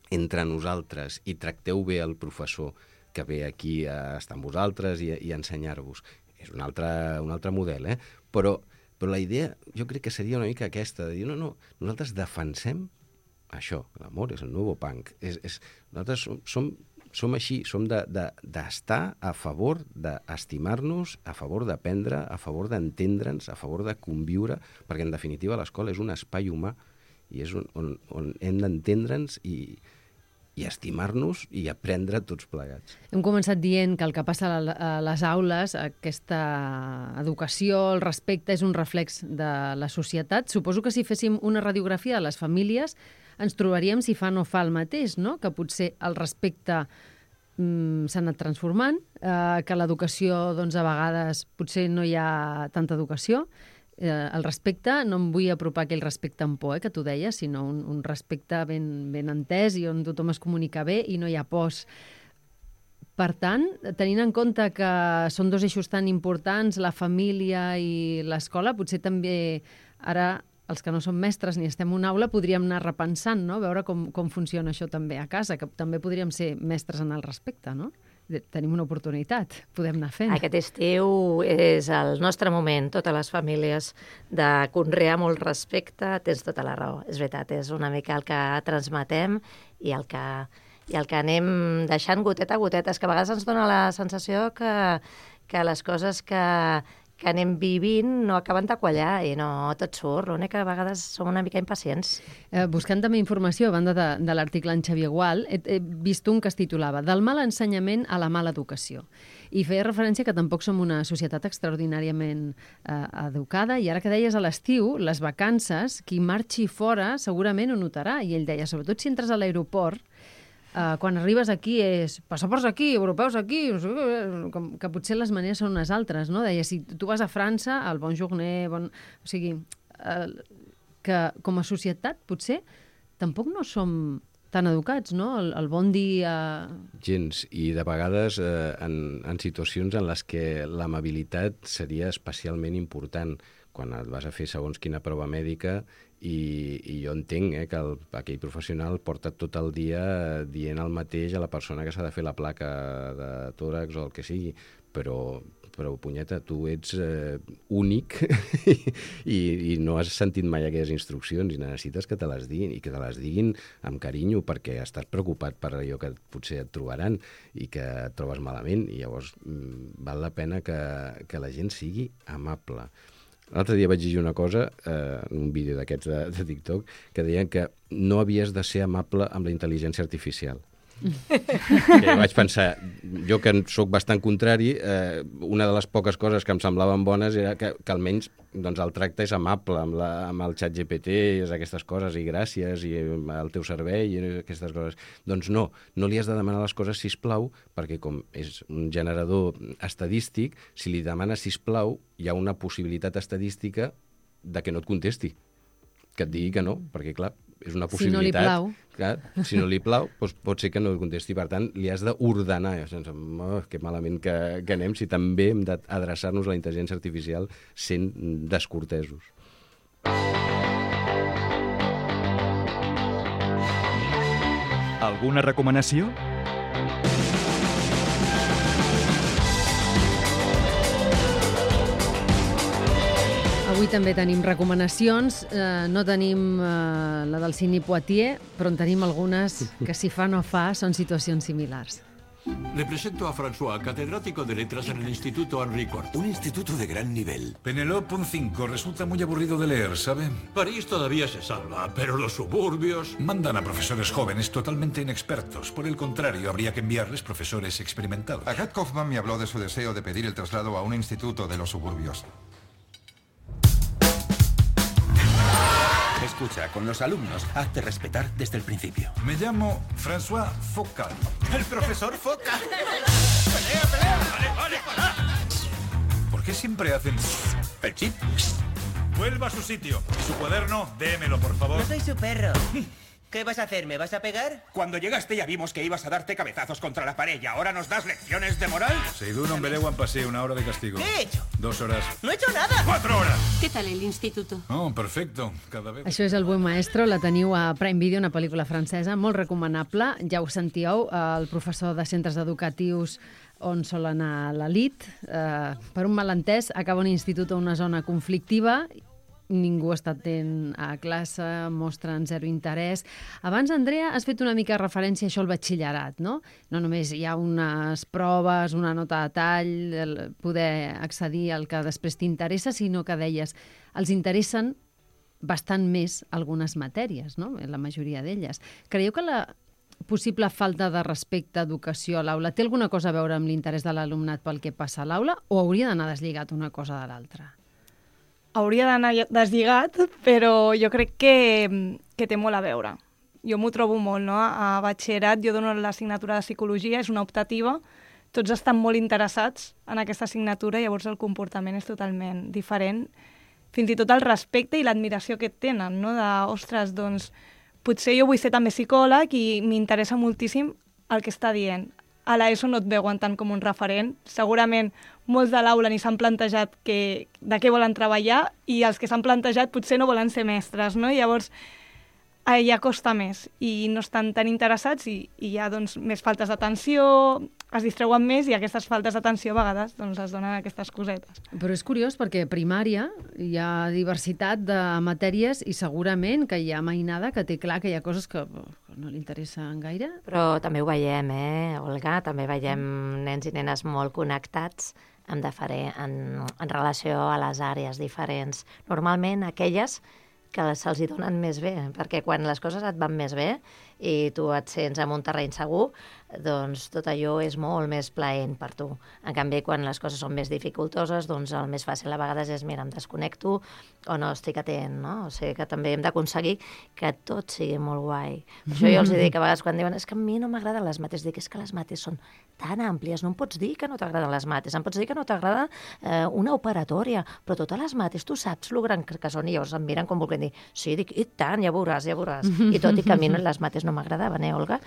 entre nosaltres i tracteu bé el professor que ve aquí a estar amb vosaltres i a ensenyar-vos. És un altre model, Però la idea jo crec que seria una mica aquesta, de dir, no, nosaltres defensem això, l'amor és el nou punk. Nosaltres som així, som d'estar a favor d'estimar-nos, a favor d'aprendre, a favor d'entendre'ns, a favor de conviure, perquè en definitiva l'escola és un espai humà i és on hem d'entendre'ns i estimar-nos i aprendre tots plegats. Hem començat dient que el que passa a les aules, aquesta educació, el respecte, és un reflex de la societat. Suposo que si féssim una radiografia de les famílies ens trobaríem si fa o no fa el mateix, no? Que potser el respecte s'ha anat transformant, que l'educació, doncs, a vegades potser no hi ha tanta educació. El respecte, no em vull apropar aquell respecte amb por, que tu deies, sinó un respecte ben entès i on tothom es comunica bé i no hi ha pors. Per tant, tenint en compte que són dos eixos tan importants, la família i l'escola, potser també ara els que no som mestres ni estem en una aula podríem anar repensant, no? Veure com funciona això també a casa, que també podríem ser mestres en el respecte, no? Tenim una oportunitat, podem anar fent. Aquest estiu és el nostre moment, totes les famílies, de conrear molt respecte. Tens tota la raó, és veritat, és una mica el que transmetem i el que anem deixant goteta a goteta. És que a vegades ens dona la sensació que les coses que anem vivint no acaben de quallar i no tot surt. L'únic que a vegades som una mica impacients. Buscant també informació, a banda de l'article en Xavier Gual, he vist un que es titulava Del mal ensenyament a la mala educació. I feia referència que tampoc som una societat extraordinàriament educada, i ara que deies a l'estiu, les vacances, qui marxi fora segurament ho notarà. I ell deia, sobretot si entres a l'aeroport, quan arribes aquí és passaports aquí, europeus aquí, que potser les maneres són unes altres, no? Deia, si tu vas a França, el bon journer, o sigui, que com a societat potser tampoc no som tan educats, no? El bon dia... Gens, i de vegades en situacions en les que l'amabilitat seria especialment important, quan et vas a fer segons quina prova mèdica i jo entenc que aquell professional porta tot el dia dient el mateix a la persona que s'ha de fer la placa de tòrax o el que sigui, però punyeta, tu ets únic i no has sentit mai aquelles instruccions i necessites que te les diguin, i que te les diguin amb carinyo, perquè estàs preocupat per allò que potser et trobaran i que et trobes malament, i llavors val la pena que la gent sigui amable. L'altre dia vaig llegir una cosa, en un vídeo d'aquests de TikTok, que deien que no havies de ser amable amb la intel·ligència artificial. Que vaig pensar, jo que sóc bastant contrari, una de les poques coses que em semblaven bones era que almenys doncs, el tracte és amable amb el xat GPT, aquestes coses, i gràcies, i el teu servei, i aquestes coses. Doncs no li has de demanar les coses sisplau, perquè com és un generador estadístic, si li demanes sisplau, hi ha una possibilitat estadística de que no et contesti, que et digui que no, perquè clar, és una possibilitat. Si no li plau. Clar, si no li plau, doncs pot ser que no contesti. Per tant, li has d'ordenar. Que malament que anem si també hem d'adreçar-nos a la intel·ligència artificial sent descortesos. Alguna recomanació? Avui també tenim recomanacions. No tenim la del Sidney Poitier, però en tenim algunes que si fa no fa són situacions similars. Le presento a François, catedrático de letras en el Instituto Henri IV. Un instituto de gran nivel. Penelope, un 5. Resulta muy aburrido de leer, ¿sabe? París todavía se salva, pero los suburbios... Mandan a profesores jóvenes totalmente inexpertos. Por el contrario, habría que enviarles profesores experimentados. Agat Kaufman me habló de su deseo de pedir el traslado a un instituto de los suburbios. Escucha, con los alumnos, hazte respetar desde el principio. Me llamo François Focal. ¡El profesor Foca! ¡Pelea! ¡Vale, para! ¿Por qué siempre hacen El chip. Vuelva a su sitio. Su cuaderno, démelo, por favor. No soy su perro. ¿Qué vas a hacer? ¿Me vas a pegar? Cuando llegaste ya vimos que ibas a darte cabezazos contra la pared y ahora nos das lecciones de moral. Seidun Ombelewan pasé 1 hora de castigo. ¿Qué he hecho? 2 horas. ¡No he hecho nada! 4 horas. ¿Qué tal el instituto? Oh, perfecto. Cada vez... Això és El buen maestro, la teniu a Prime Video, una pel·lícula francesa, molt recomanable. Ja ho sentíeu, el professor de centres educatius on sol anar l'elit. Per un malentès, acaba un institut o una zona conflictiva, ningú està atent a classe, mostren zero interès. Abans, Andrea, has fet una mica referència a això al batxillerat, no? No només hi ha unes proves, una nota de tall, poder accedir al que després t'interessa, sinó que deies, els interessen bastant més algunes matèries, no? La majoria d'elles. Creieu que la possible falta de respecte a educació a l'aula té alguna cosa a veure amb l'interès de l'alumnat pel que passa a l'aula o hauria d'anar deslligat una cosa de l'altra? Hauria d'anar deslligat, però jo crec que té molt a veure. Jo m'ho trobo molt, no? A batxillerat jo dono l'assignatura de psicologia, és una optativa, tots estan molt interessats en aquesta assignatura, llavors el comportament és totalment diferent. Fins i tot el respecte i l'admiració que tenen, no? De, ostres, doncs, potser jo vull ser també psicòleg i m'interessa moltíssim el que està dient. A l'ESO no et veuen tant com un referent. Segurament molts de l'aula ni s'han plantejat de què volen treballar i els que s'han plantejat potser no volen ser mestres, no? Llavors ja costa més i no estan tan interessats i hi ha doncs, més faltes d'atenció, es distreuen més i aquestes faltes d'atenció a vegades doncs, es donen aquestes cosetes. Però és curiós perquè a primària hi ha diversitat de matèries i segurament que hi ha mainada que té clar que hi ha coses que no li interessen gaire. Però també ho veiem, Olga? També veiem nens i nenes molt connectats en relació a les àrees diferents. Normalment aquelles que se'ls hi donen més bé, perquè quan les coses et van més bé i tu et sents en un terreny segur, doncs tot allò és molt més plaent per tu. En canvi, quan les coses són més dificultoses, doncs el més fàcil a vegades és, mira, em desconnecto o no estic atent, no? O sigui que també hem d'aconseguir que tot sigui molt guai. Per això jo els dic a vegades quan diuen és que a mi no m'agraden les mates, dic és que les mates són tan àmplies, no em pots dir que no t'agraden les mates, em pots dir que no t'agrada una operatòria, però totes les mates tu saps lo gran que són i llavors em miren com volent dir, sí, dic, i tant, ja veuràs. I tot i que a mi les mates no m'agradaven, Olga?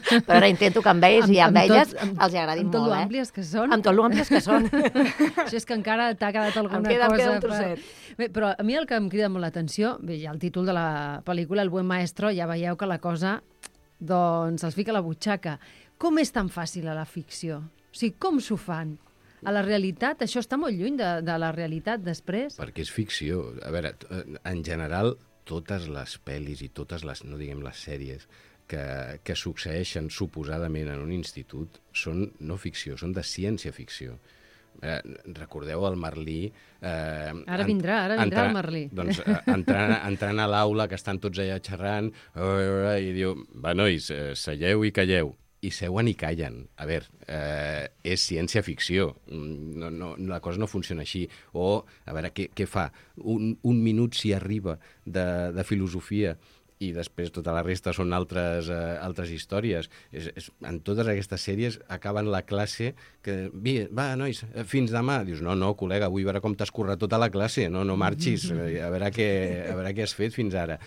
Però ara intento que amb ells i amb elles els agradin molt. Amb tot lo àmplies que són. Amb tot lo àmplies que són. Això és que encara t'ha quedat alguna cosa. Em queda un trosset. Bé, però a mi el que em crida molt l'atenció, bé, ja el títol de la pel·lícula, El buen maestro, ja veieu que la cosa doncs els fica a la butxaca. Com és tan fàcil a la ficció? O sigui, com s'ho fan? A la realitat, això està molt lluny de la realitat després. Perquè és ficció. A veure, en general, totes les pel·lis i totes les, no diguem les sèries, que succeeixen suposadament en un institut són no ficció, són de ciència-ficció. Recordeu el Merlí... Ara vindrà el Merlí. Doncs entrant a l'aula, que estan tots allà xerrant, i diu, va, nois, seieu i calleu. I seuen i callen. A veure, és ciència-ficció. La cosa no funciona així. O, a veure, què fa? Un minut s'hi arriba de filosofia i després tota la resta són altres històries. En totes aquestes sèries acaben la classe que... Va, nois, fins demà. Dius, no, col·lega, vull veure com t'has currat tota la classe. No marxis. A veure què has fet fins ara.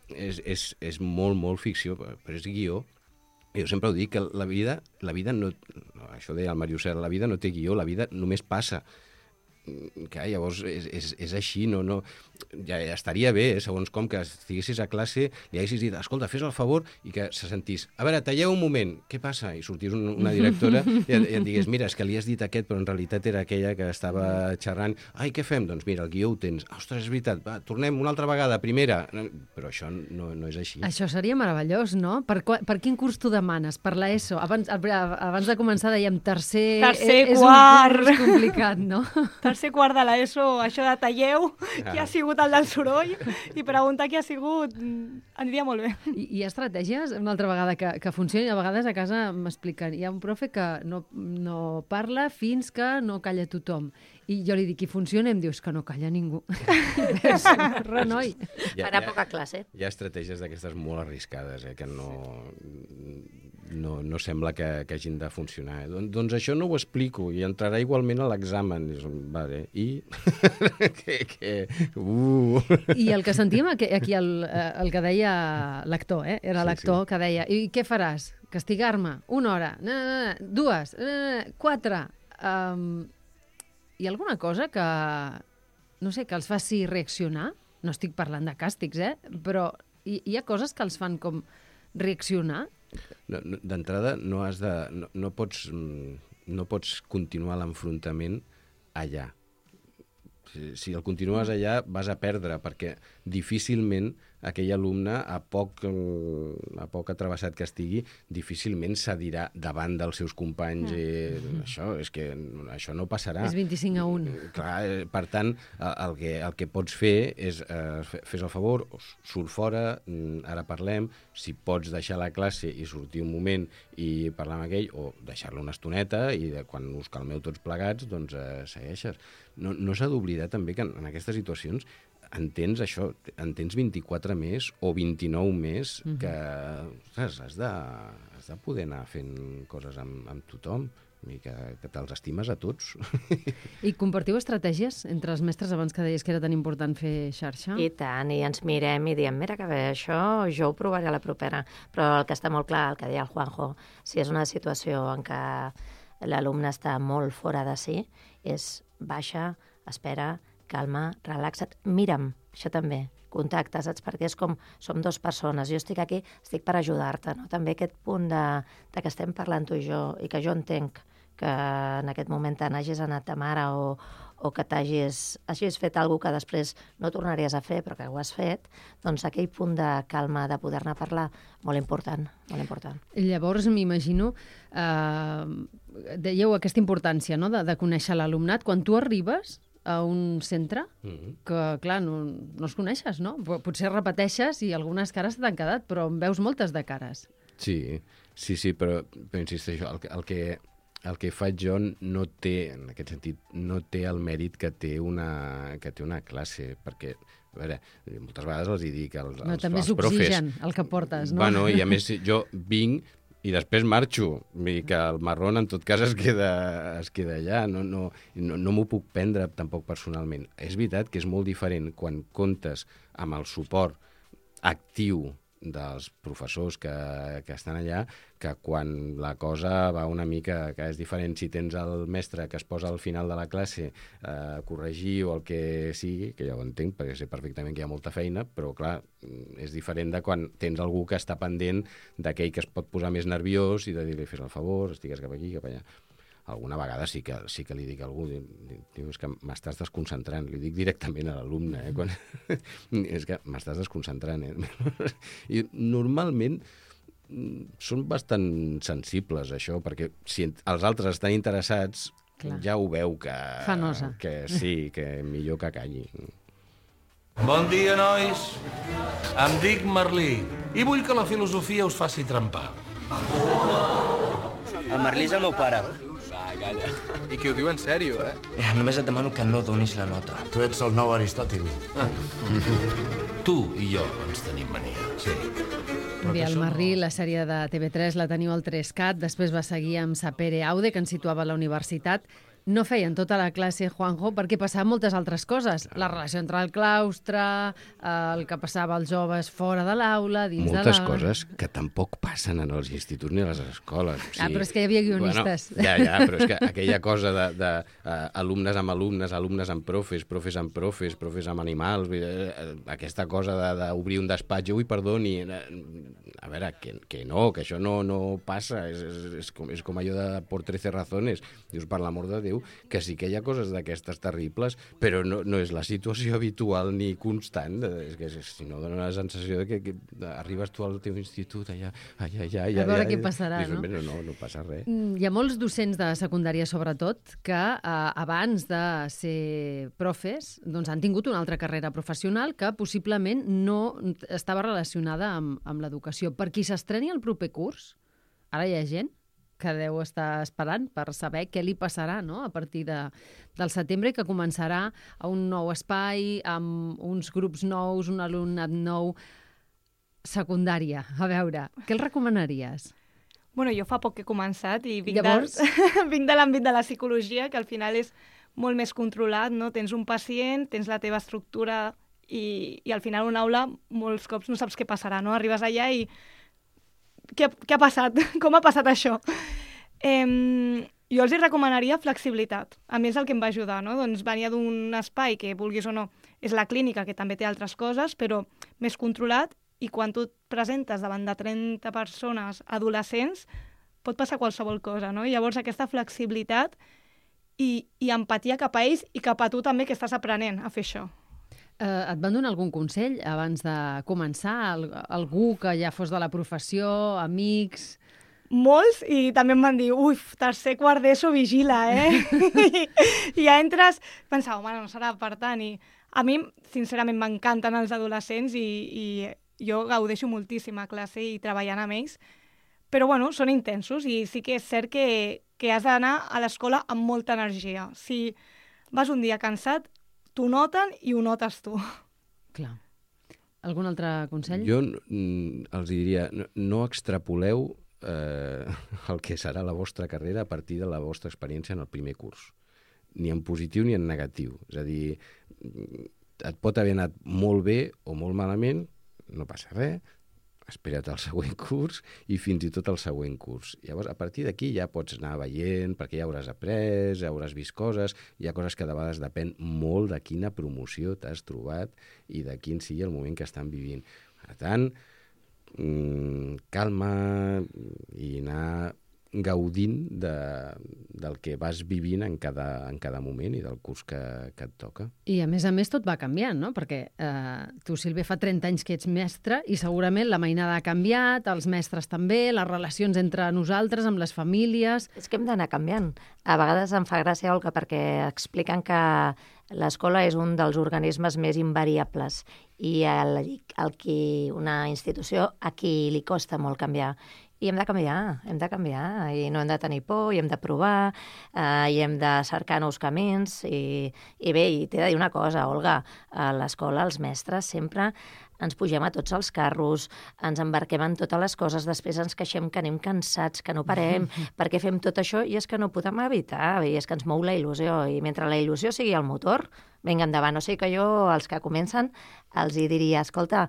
És molt, molt ficció, però és guió. Jo sempre ho dic, que la vida no... Això deia el Màrius Serra, la vida no té guió, la vida només passa. Que llavors és així, no... Ja estaria bé, segons com, que estiguessis a classe, li haguessis dit, escolta, fes el favor, i que se sentís, a veure, talleu un moment, què passa? I sortís una directora i et digués, mira, és que li has dit aquest, però en realitat era aquella que estava xerrant. Ai, què fem? Doncs mira, el guió ho tens. Ostres, és veritat, va, tornem una altra vegada, primera. Però això no és així. Això seria meravellós, no? Per quin curs tu demanes? Per l'ESO? Abans de començar dèiem tercer quart. És un curs complicat, no? Tercer quart de l'ESO, això de talleu, qui ha sigut el del soroll, i preguntar qui ha sigut aniria molt bé. I hi ha estratègies, una altra vegada, que funcionin. A vegades a casa m'expliquen, hi ha un profe que no parla fins que no calla tothom. I jo li dic, i funciona? Em dius que no calla ningú. Renoi. Farà poca classe. Hi ha estratègies d'aquestes molt arriscades, que no sembla que hagin de funcionar. Doncs això no ho explico, i entrarà igualment a l'examen. Vale, i... I el que sentíem aquí, el que deia l'actor, era l'actor que deia, i què faràs? Castigar-me? 1 hora? 2? 4? Hi ha alguna cosa que, no sé, que els faci reaccionar? No estic parlant de càstigs, però hi ha coses que els fan com reaccionar? D'entrada, no pots continuar l'enfrontament allà. Si el continues allà, vas a perdre, perquè difícilment aquell alumne, a poc atravessat que estigui, difícilment cedirà davant dels seus companys. Això no passarà. És 25-1. Clar, per tant, el que pots fer és fes el favor, surt fora, ara parlem, si pots deixar la classe i sortir un moment i parlar amb aquell, o deixar-lo una estoneta i quan us calmeu tots plegats, doncs segueixes. No s'ha d'oblidar també que en aquestes situacions entens 24 més o 29 més que has de poder anar fent coses amb tothom i que te'ls estimes a tots. I compartiu estratègies entre els mestres abans que deies que era tan important fer xarxa? I tant, i ens mirem i diem, mira que bé, això jo ho provaré a la propera. Però el que està molt clar, el que deia el Juanjo, si és una situació en què l'alumne està molt fora de si, és baixa, espera, calma, relaxa't, mira'm, això també, contacte, saps? Perquè és com, som 2 persones, jo estic aquí, estic per ajudar-te, no? També aquest punt de que estem parlant tu i jo, i que jo entenc que en aquest moment te n'hagis anat de mare o que hagis fet alguna cosa que després no tornaries a fer, però que ho has fet, doncs aquell punt de calma, de poder-ne parlar, molt important, molt important. Llavors, m'imagino, dèieu aquesta importància, no?, de conèixer l'alumnat. Quan tu arribes a un centre, que, clar, no els coneixes, no? Potser repeteixes i algunes cares t'han quedat, però en veus moltes de cares. Sí, però insisteixo, el que faig jo no té, en aquest sentit, no té el mèrit que té una classe, perquè, a veure, moltes vegades els hi dic als profes... També és oxigen el que portes, no? Bueno, i a més jo vinc i després marxo, i que el marrón en tot cas es queda allà, no m'ho puc prendre tampoc personalment. És veritat que és molt diferent quan comptes amb el suport actiu dels professors que estan allà, que quan la cosa va una mica, que és diferent si tens el mestre que es posa al final de la classe a corregir o el que sigui, que ja ho entenc, perquè sé perfectament que hi ha molta feina, però clar, és diferent de quan tens algú que està pendent d'aquell que es pot posar més nerviós i de dir-li, fes el favor, estigues cap aquí, cap allà. Alguna vegada sí que li dic a algú, diu, és que m'estàs desconcentrant, li dic directament a l'alumne, és que m'estàs desconcentrant. I normalment són bastant sensibles, això, perquè si els altres estan interessats, clar, ja ho veu que sí, que millor que calli. Bon dia, nois. Em dic Merlí i vull que la filosofia us faci trempar. El Merlí és el meu pare. Calla. I que ho diu en sèrio, eh? Només et demano que no donis la nota. Tu ets el nou Aristòtil. Tu i jo ens tenim mania, sí. Bé, el Merlí, la sèrie de TV3 la teniu al 3CAT, després va seguir amb Sapere Aude, que ens situava a la universitat. No feien tota la classe, Juanjo, perquè passaven moltes altres coses. La relació entre el claustre, el que passava als joves fora de l'aula, dins de l'aula... Moltes coses que tampoc passen en els instituts ni a les escoles. Ah, però és que hi havia guionistes. Bueno, ja, però és que aquella cosa de alumnes amb alumnes, alumnes amb profes, profes amb profes, profes amb animals, aquesta cosa d'obrir un despatx, ui, perdoni, a veure, que no, que això no passa, és com allò de por 13 razones, dius, per l'amor de Déu, que sí que hi ha coses d'aquestes terribles, però no és la situació habitual ni constant. És que si no dona la sensació de que arribes tu al teu institut allà, a veure què passarà, no? No passa res. Hi ha molts docents de secundària, sobretot, que abans de ser profes doncs han tingut una altra carrera professional que possiblement no estava relacionada amb l'educació. Per qui s'estreni el proper curs, ara hi ha gent que deu estar esperant per saber què li passarà, no?, a partir del setembre, que començarà a un nou espai, amb uns grups nous, un alumnat nou, secundària. A veure, què el recomanaries? Bueno, jo fa poc que he començat i vinc de l'àmbit de la psicologia, que al final és molt més controlat, no? Tens un pacient, tens la teva estructura i al final una aula molts cops no saps què passarà, no? Arribes allà i què ha passat? Com ha passat això? Jo els recomanaria flexibilitat. A mi és el que em va ajudar, no? Doncs venia d'un espai que, vulguis o no, és la clínica, que també té altres coses, però més controlat, i quan tu et presentes davant de 30 persones adolescents, pot passar qualsevol cosa, no? I llavors aquesta flexibilitat i empatia cap a ells i cap a tu també, que estàs aprenent a fer això. Et van donar algun consell abans de començar? Algú que ja fos de la professió, amics? Molts, i també em van dir, tercer, quart d'ESO, vigila, I ja entres, pensava, home, no serà per tant. I a mi, sincerament, m'encanten els adolescents i jo gaudeixo moltíssim a classe i treballant amb ells, però, bueno, són intensos i sí que és cert que has d'anar a l'escola amb molta energia. Si vas un dia cansat, t'ho noten i ho notes tu. Clar. Algun altre consell? Jo els diria, no extrapoleu el que serà la vostra carrera a partir de la vostra experiència en el primer curs. Ni en positiu ni en negatiu. És a dir, et pot haver anat molt bé o molt malament, no passa res, espera't al següent curs i fins i tot al següent curs. Llavors, a partir d'aquí ja pots anar veient, perquè ja hauràs après, ja hauràs vist coses, hi ha coses que de vegades depèn molt de quina promoció t'has trobat i de quin sigui el moment que estan vivint. Per tant, calma i anar gaudint del que vas vivint en cada moment i del curs que et toca. I a més tot va canviant, no? Perquè tu, Sílvia, fa 30 anys que ets mestre i segurament la mainada ha canviat, els mestres també, les relacions entre nosaltres, amb les famílies... És que hem d'anar canviant. A vegades em fa gràcia, Olga, perquè expliquen que l'escola és un dels organismes més invariables i una institució a qui li costa molt canviar. I hem de canviar, i no hem de tenir por, i hem de provar, i hem de cercar nous camins, i bé, i t'he de dir una cosa, Olga, a l'escola els mestres sempre ens pugem a tots els carros, ens embarquem en totes les coses, després ens queixem que anem cansats, que no parem, perquè fem tot això, i és que no podem evitar, i és que ens mou la il·lusió, i mentre la il·lusió sigui el motor, vinga endavant. O sigui que jo, als que comencen, els hi diria, escolta,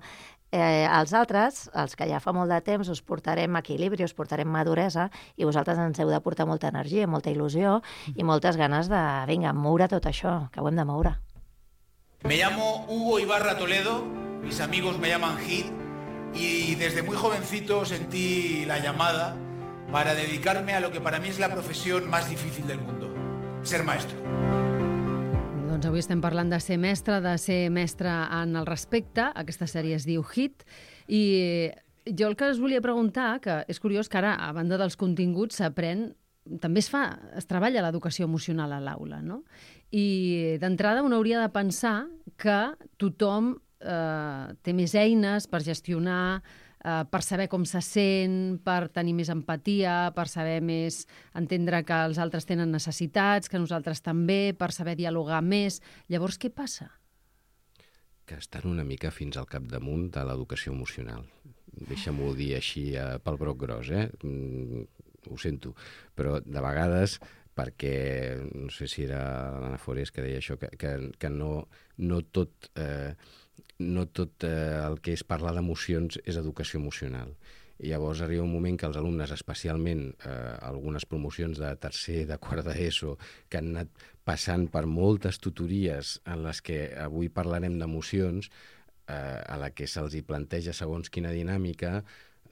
Els altres, els que ja fa molt de temps, us portarem equilibri, us portarem maduresa, i vosaltres ens heu de portar molta energia, molta il·lusió i moltes ganes de, vinga, moure tot això, que ho hem de moure. Me llamo Hugo Ibarra Toledo, mis amigos me llaman Hit, y desde muy jovencito sentí la llamada para dedicarme a lo que para mí es la profesión más difícil del mundo, ser maestro. Doncs avui estem parlant de ser mestre en el respecte. Aquesta sèrie es diu Hit. I jo el que us volia preguntar, que és curiós que ara, a banda dels continguts, s'aprèn, també es treballa l'educació emocional a l'aula, no? I d'entrada un hauria de pensar que tothom té més eines per gestionar, per saber com se sent, per tenir més empatia, per saber més entendre que els altres tenen necessitats, que nosaltres també, per saber dialogar més. Llavors, què passa? Que estan una mica fins al capdamunt de l'educació emocional. Deixa'm-ho dir així pel broc gros, ho sento. Però de vegades, perquè no sé si era l'Anna Forés que deia això, que no tot el que és parlar d'emocions és educació emocional. I llavors arriba un moment que els alumnes, especialment algunes promocions de tercer, de quart d'ESO, que han anat passant per moltes tutories en les que avui parlarem d'emocions, a la que se'ls hi planteja segons quina dinàmica,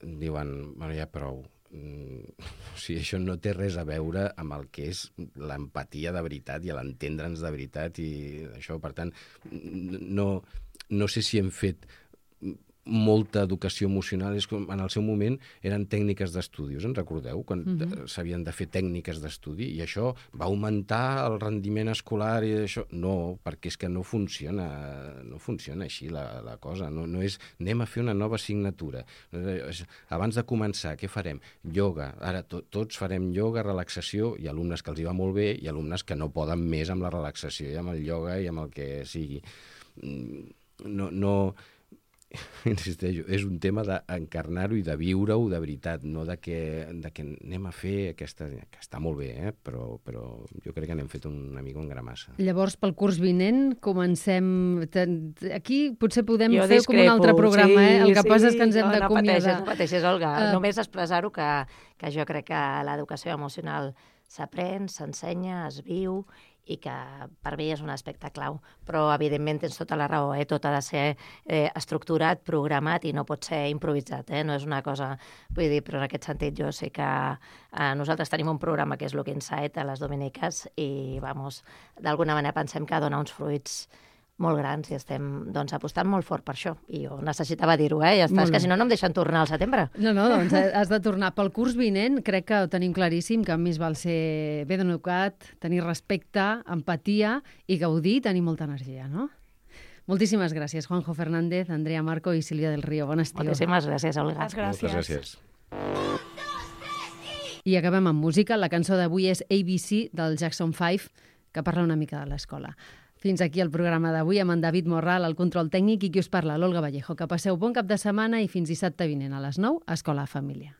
diuen, bueno, ja prou. O sigui, això no té res a veure amb el que és l'empatia de veritat i l'entendre'ns de veritat i això, per tant, no sé si hem fet molta educació emocional. És com en el seu moment eren tècniques d'estudi, us en recordeu? Quan s'havien de fer tècniques d'estudi i això va augmentar el rendiment escolar i això. No, perquè és que no funciona així la cosa. No és anem a fer una nova assignatura. Abans de començar, què farem? Ioga. Ara tots farem ioga, relaxació, i alumnes que els hi va molt bé i alumnes que no poden més amb la relaxació i amb el ioga i amb el que sigui. Insisteixo, és un tema d'encarnar-ho i de viure-ho de veritat, no de que anem a fer aquesta, que està molt bé, però jo crec que n'hem fet una mica un gramassa. Llavors, pel curs vinent, comencem... Aquí potser podem fer com un altre programa, El que passa és que ens hem d'acomiadar. No pateixis, Olga. Només expressar-ho que jo crec que l'educació emocional s'aprèn, s'ensenya, es viu i que per mi és un aspecte clau. Però, evidentment, tens tota la raó, tot ha de ser estructurat, programat i no pot ser improvisat, no és una cosa... Vull dir, però en aquest sentit jo sé que nosaltres tenim un programa que és Look Inside a les Dominiques i, d'alguna manera pensem que dona uns fruits molt grans i estem apostant molt fort per això. I jo necessitava dir-ho, ja està. És que si no em deixen tornar al setembre. No, doncs has de tornar. Pel curs vinent crec que ho tenim claríssim, que més val ser ben educat, tenir respecte, empatia i gaudir, tenir molta energia, no? Moltíssimes gràcies, Juanjo Fernández, Andrea Marco i Sílvia del Río. Bon estiu. Moltíssimes gràcies, Olga. Moltes gràcies. I acabem amb música. La cançó d'avui és ABC del Jackson 5, que parla una mica de l'escola. Fins aquí el programa d'avui amb en David Morral, el control tècnic, i qui us parla, l'Olga Vallejo. Que passeu bon cap de setmana i fins dissabte vinent a les 9 a Escola Família.